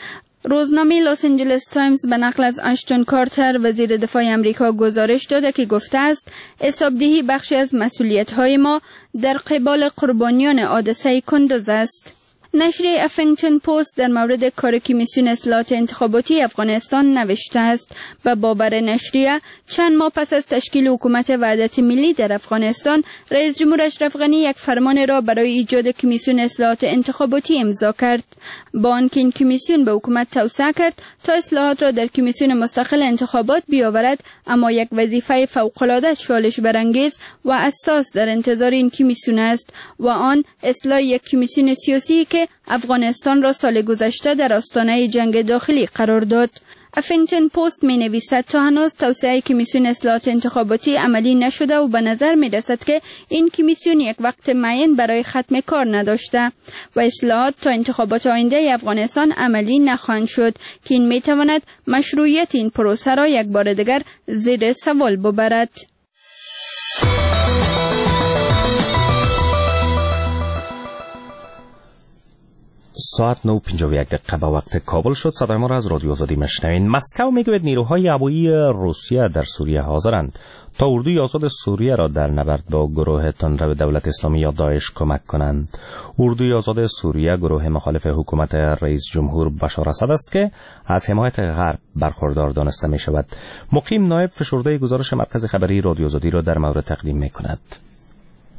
روزنامه لس آنجلس تایمز به نقل از اشتون کارتر، وزیر دفاع امریکا، گزارش داده که گفته است حسابدهی بخشی از مسئولیت‌های ما در قبال قربانیان حادثه کندوز است. نشریه افنگتون پست در مورد کار کمیسیون اصلاحات انتخاباتی افغانستان نوشته است. به باور نشریه، چند ماه پس از تشکیل حکومت وحدت ملی در افغانستان، رئیس جمهور اشرف غنی یک فرمان را برای ایجاد کمیسیون اصلاحات انتخاباتی امضا کرد. با آنکه این کمیسیون به حکومت توسعه کرد تا اصلاحات را در کمیسیون مستقل انتخابات بیاورد، اما یک وظیفه فوق‌العاده چالش برانگیز و اساس در انتظار این کمیسیون است و آن اصلاح یک کمیسیون سیاسی که افغانستان را سال گذشته در آستانه جنگ داخلی قرار داد. افنگتون پست می نویسد تا هنوز توسعه کمیسیون اصلاحات انتخاباتی عملی نشده و به نظر می رسد که این کمیسیون یک وقت معین برای ختم کار نداشته و اصلاحات تا انتخابات آینده افغانستان عملی نخواهند شد که این می تواند مشروعیت این پروسه را یک بار دیگر زیر سوال ببرد. ساعت 9:51 به وقت کابل شد. صدای ما را از رادیو آزادی میشنوین. مسکو میگوید نیروهای هوایی روسیه در سوریه حاضرند تا اردوی آزاد سوریه را در نبرد با گروه تندرو دولت اسلامی یا داعش کمک کنند. اردوی آزاد سوریه گروه مخالف حکومت رئیس جمهور بشار اسد است که از حمایت غرب برخوردار دانسته می شود. مقیم نایب فشرده گزارش مرکز خبری رادیو آزادی را در مورد تقدیم می کند.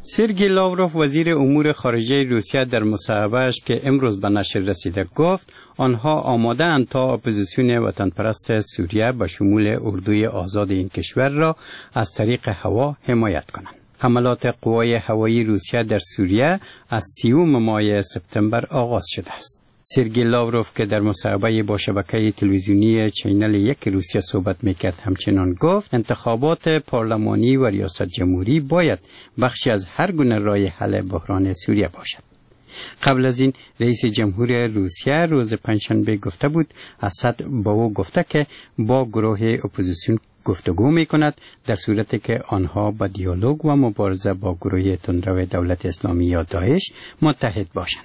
سرگی لاوروف وزیر امور خارجه روسیه در مصاحبه‌اش که امروز به نشر رسیده گفت آنها آماده اند تا اپوزیسیون وطن پرست سوریه به شمول اردوی آزاد این کشور را از طریق هوا حمایت کنند. حملات قوای هوایی روسیه در سوریه از 30 ماه سپتامبر آغاز شده است. سرگی لاوروف که در مصاحبه با شبکه تلویزیونی چینل 1 روسیه صحبت میکرد همچنان گفت انتخابات پارلمانی و ریاست جمهوری باید بخشی از هر گونه راه حل بحران سوریه باشد. قبل از این رئیس جمهور روسیه روز پنجشنبه گفته بود اسد با او گفته که با گروه اپوزیسیون گفتگو می کند در صورتی که آنها با دیالوگ و مبارزه با گروه تندرو دولت اسلامی یا داعش متحد باشند.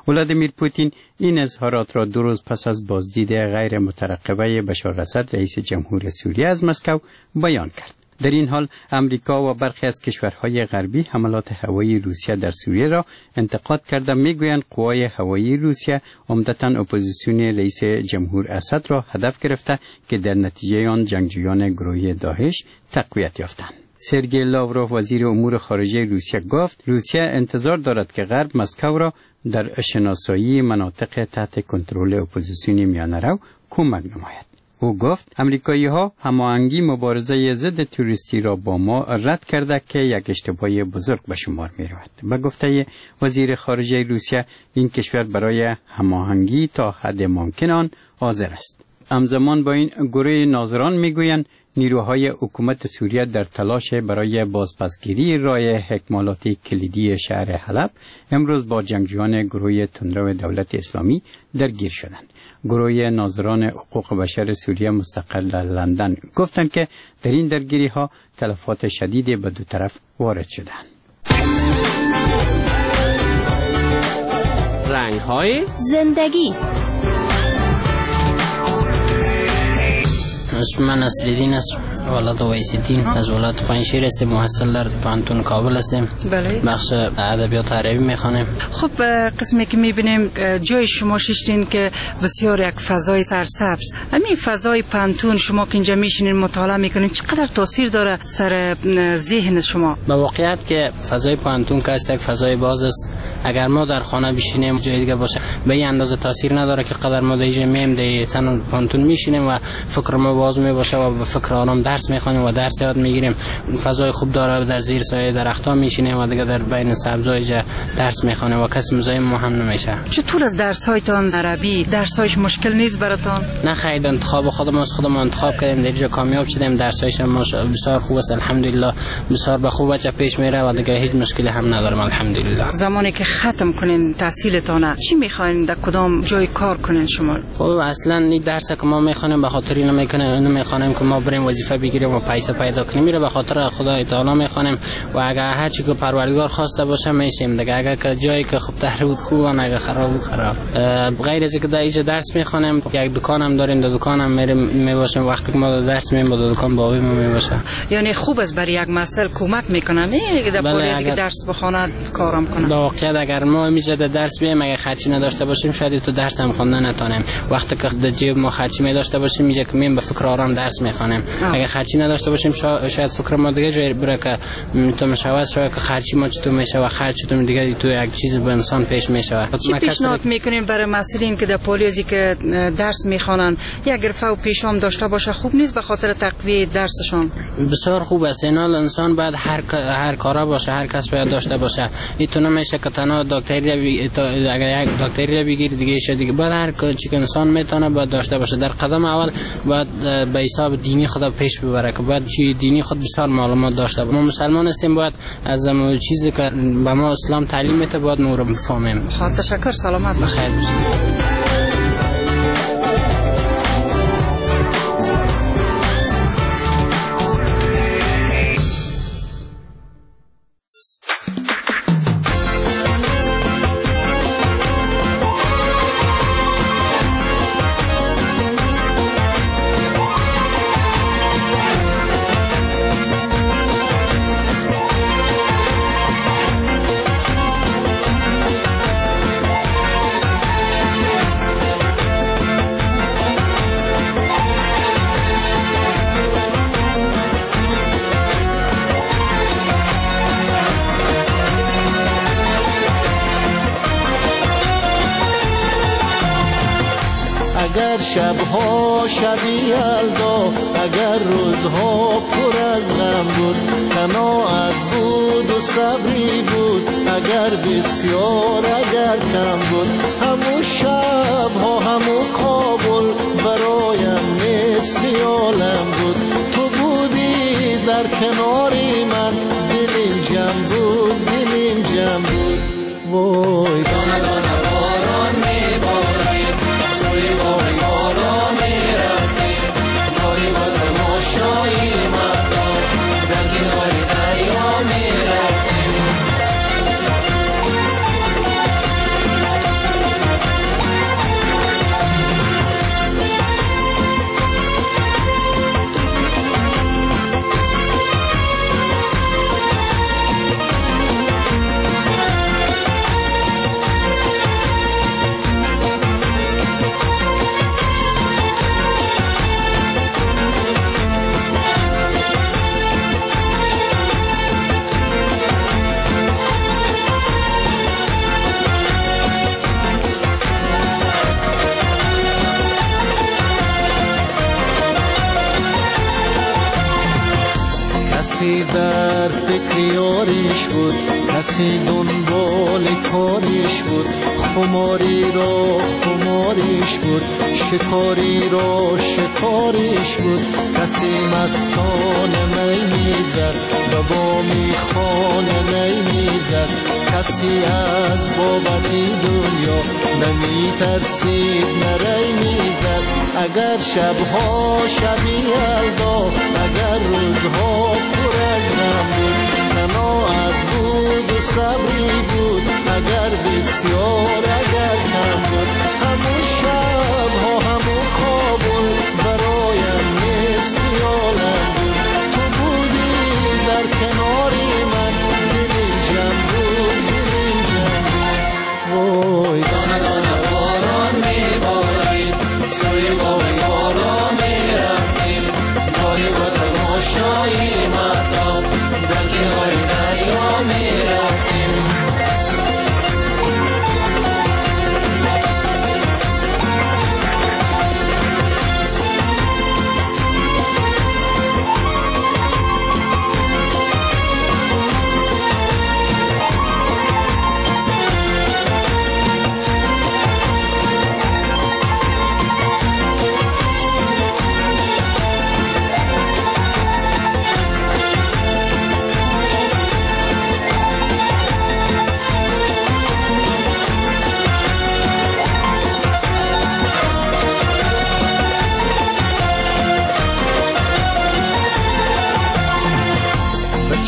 ولادیمیر پوتین این اظهارات را 2 روز پس از بازدید غیر مترقبه بشار اسد رئیس جمهور سوریه از مسکو بیان کرد. در این حال امریکا و برخی از کشورهای غربی حملات هوایی روسیه در سوریه را انتقاد کرده میگویند قوای هوایی روسیه عمدتاً اپوزیسیون رئیس جمهور اسد را هدف گرفته که در نتیجه آن جنگجویان گروه داعش تقویت یافتند. سرگئی لاوروف وزیر امور خارجه روسیه گفت روسیه انتظار دارد که غرب مسکو را در شناسایی مناطق تحت کنترل اپوزیسیون میانه‌رو کمک نماید. او گفت امریکایی ها هماهنگی مبارزه ضد تروریستی را با ما رد کرده که یک اشتباه بزرگ به شمار می رود. به گفته وزیر خارجه روسیه این کشور برای هماهنگی تا حد ممکن آن حاضر است. همزمان با این گروه ناظران میگویند نیروهای حکومت سوریه در تلاش برای بازپسگیری راه اکمالات کلیدی شهر حلب امروز با جنگجویان گروه تندرو دولت اسلامی درگیر شدند. گروه ناظران حقوق بشر سوریه مستقر در لندن گفتند که در این درگیری ها تلفات شدید به دو طرف وارد شدند. رنگ های زندگی. اسم من نصرالدین است، ولد ویسیدین، از ولایت پنجشیر هستیم، محصل در پوهنتون کابل هستیم. بله. بخش ادبیات عربی میخوانیم. خب قسمی که میبینیم جای شما شیشتین که بسیار یک فضای سرسبز، همین فضای پوهنتون شما که اینجا میشینین مطالعه میکنین چقدر تاثیر داره سر ذهن شما؟ به واقعیت که فضای پوهنتون که یک فضای باز است، اگر ما در خانه بشینیم جای دیگه باشه به این اندازه تاثیر نداره که قدر ما در اینجا میم در تن پوهنتون میشینیم و فکر ما باز می باشه و به فکر آرام درس میخوانیم و درس یاد میگیریم. فضای خوب داره، در زیر سایه درخت‌ها میشینیم و دیگه در بین سبزای درس میخوانیم و کس مزاحم ما هم نمیشه. چطور از درس‌هایتان عربی درس‌هایش مشکل نیست براتان؟ نه خیر، انتخاب خودم از خودم انتخاب کردیم، در اینجا کامیاب شدیم، درس‌هایش هم بسیار خوب است الحمدلله، بسیار به خوب بچه پیش میره و دیگه هیچ مشکلی هم ندارم الحمدلله. زمانی که ختم کنین تحصیلتان چی میخواین در کدام جای کار کنین شما؟ خب اصلا این درس که ما میخوانیم به خاطر اینو میخوانیم که ما بریم وظیفه بگیریم و پیسه پیدا کنیم، میره به خاطر خدای تعالی میخوانیم و اگر هر چی که پروردگار خواسته باشه میشیم دیگه. اگر که جایی که خوب تر بود خوب، اگر خراب بود خراب. غیر از اینکه در اینجا درس میخوانیم یک دکان هم داریم، در دکان هم میریم میباشیم، وقتی که ما درس می‌خوانیم با دکان بابی ما میباشه. یعنی خوب است برای یک مسئله کمک میکنه نه در پولیس که درس بخونه کارم کنه. در واقعیت اگر ما اینجا درس بیم اگر خرچی نداشته باشیم شاید تو درس هم خوندن نتونیم. وقتی که در جیب ما خرچی می داشته باشیم اینجا که میم به فکر آرام درس میخوانیم. اگر خرچی نداشته باشیم شاید فکر ما دیگه جای بره که تو مشاوره شاید که خرچی ما چطور میشه و خرچ چطور دیگه تو یک چیز به انسان پیش میشه. چی پیشنهاد میکنیم برای مسئولین که در پولیسی که درس میخوانن یک گرفه و پیشام داشته باشه خوب نیست به خاطر تقویت درسشان؟ بسیار خوب است. اینال انسان باید هر کارا باشه، هر کس باید داشته باشه. این تو نمیشه که تنها دکتری اگر یک دکتری بگیری دیگه شه دیگه، باید هر چی که انسان میتونه باید داشته باشه. در قدم اول باید به حساب دینی خود پیش ببره که باید چی دینی خود بسیار معلومات داشته باشه. ما مسلمان هستیم، باید از چیزی که به ما اسلام تعلیم میده باید ما رو بفهمیم. تشکر، سلامت باشید. اگر شبها شبی یلدا، اگر روزها پر از غم بود، قناعت بود و صبری بود، اگر بسیار اگر کم بود، همو شبها همو کابل برایم نصف عالم بود. تو بودی در کناری من، دلیم جمع بود، دلیم جمع بود. وای دانه دانه باران میبارید، سوی باغ بالا میرفتیم، داری با تماشای مهتاب، در کنار دریا میرفتیم. کسی در فکر یاریش بود، کسی دنبال کاریش بود، خماری را خماریش بود، شکاری را شکاریش بود. کسی مستان می میزد و با میخانه نی میزد، کسی از بابتی دنیا نمی ترسید نری میزد. اگر شبها شبی یلدا، اگر روزها پر از غم بود، قناعت بود و صبری بود، اگر بسیار اگر کم بود. همون شبها همون کابل برایم نصف عالم بود، تو بودی در کناری من، دلی جمع بود دلی جمع بود. وای دانه دانه باران میبارید، سوی باغ بالا میرفتیم، گاهی با تماشای مهتاب در کنار دریا میرفتیم.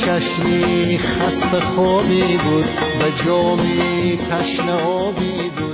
چشمی خسته خوابی بود، به جامی تشنه آبی بود.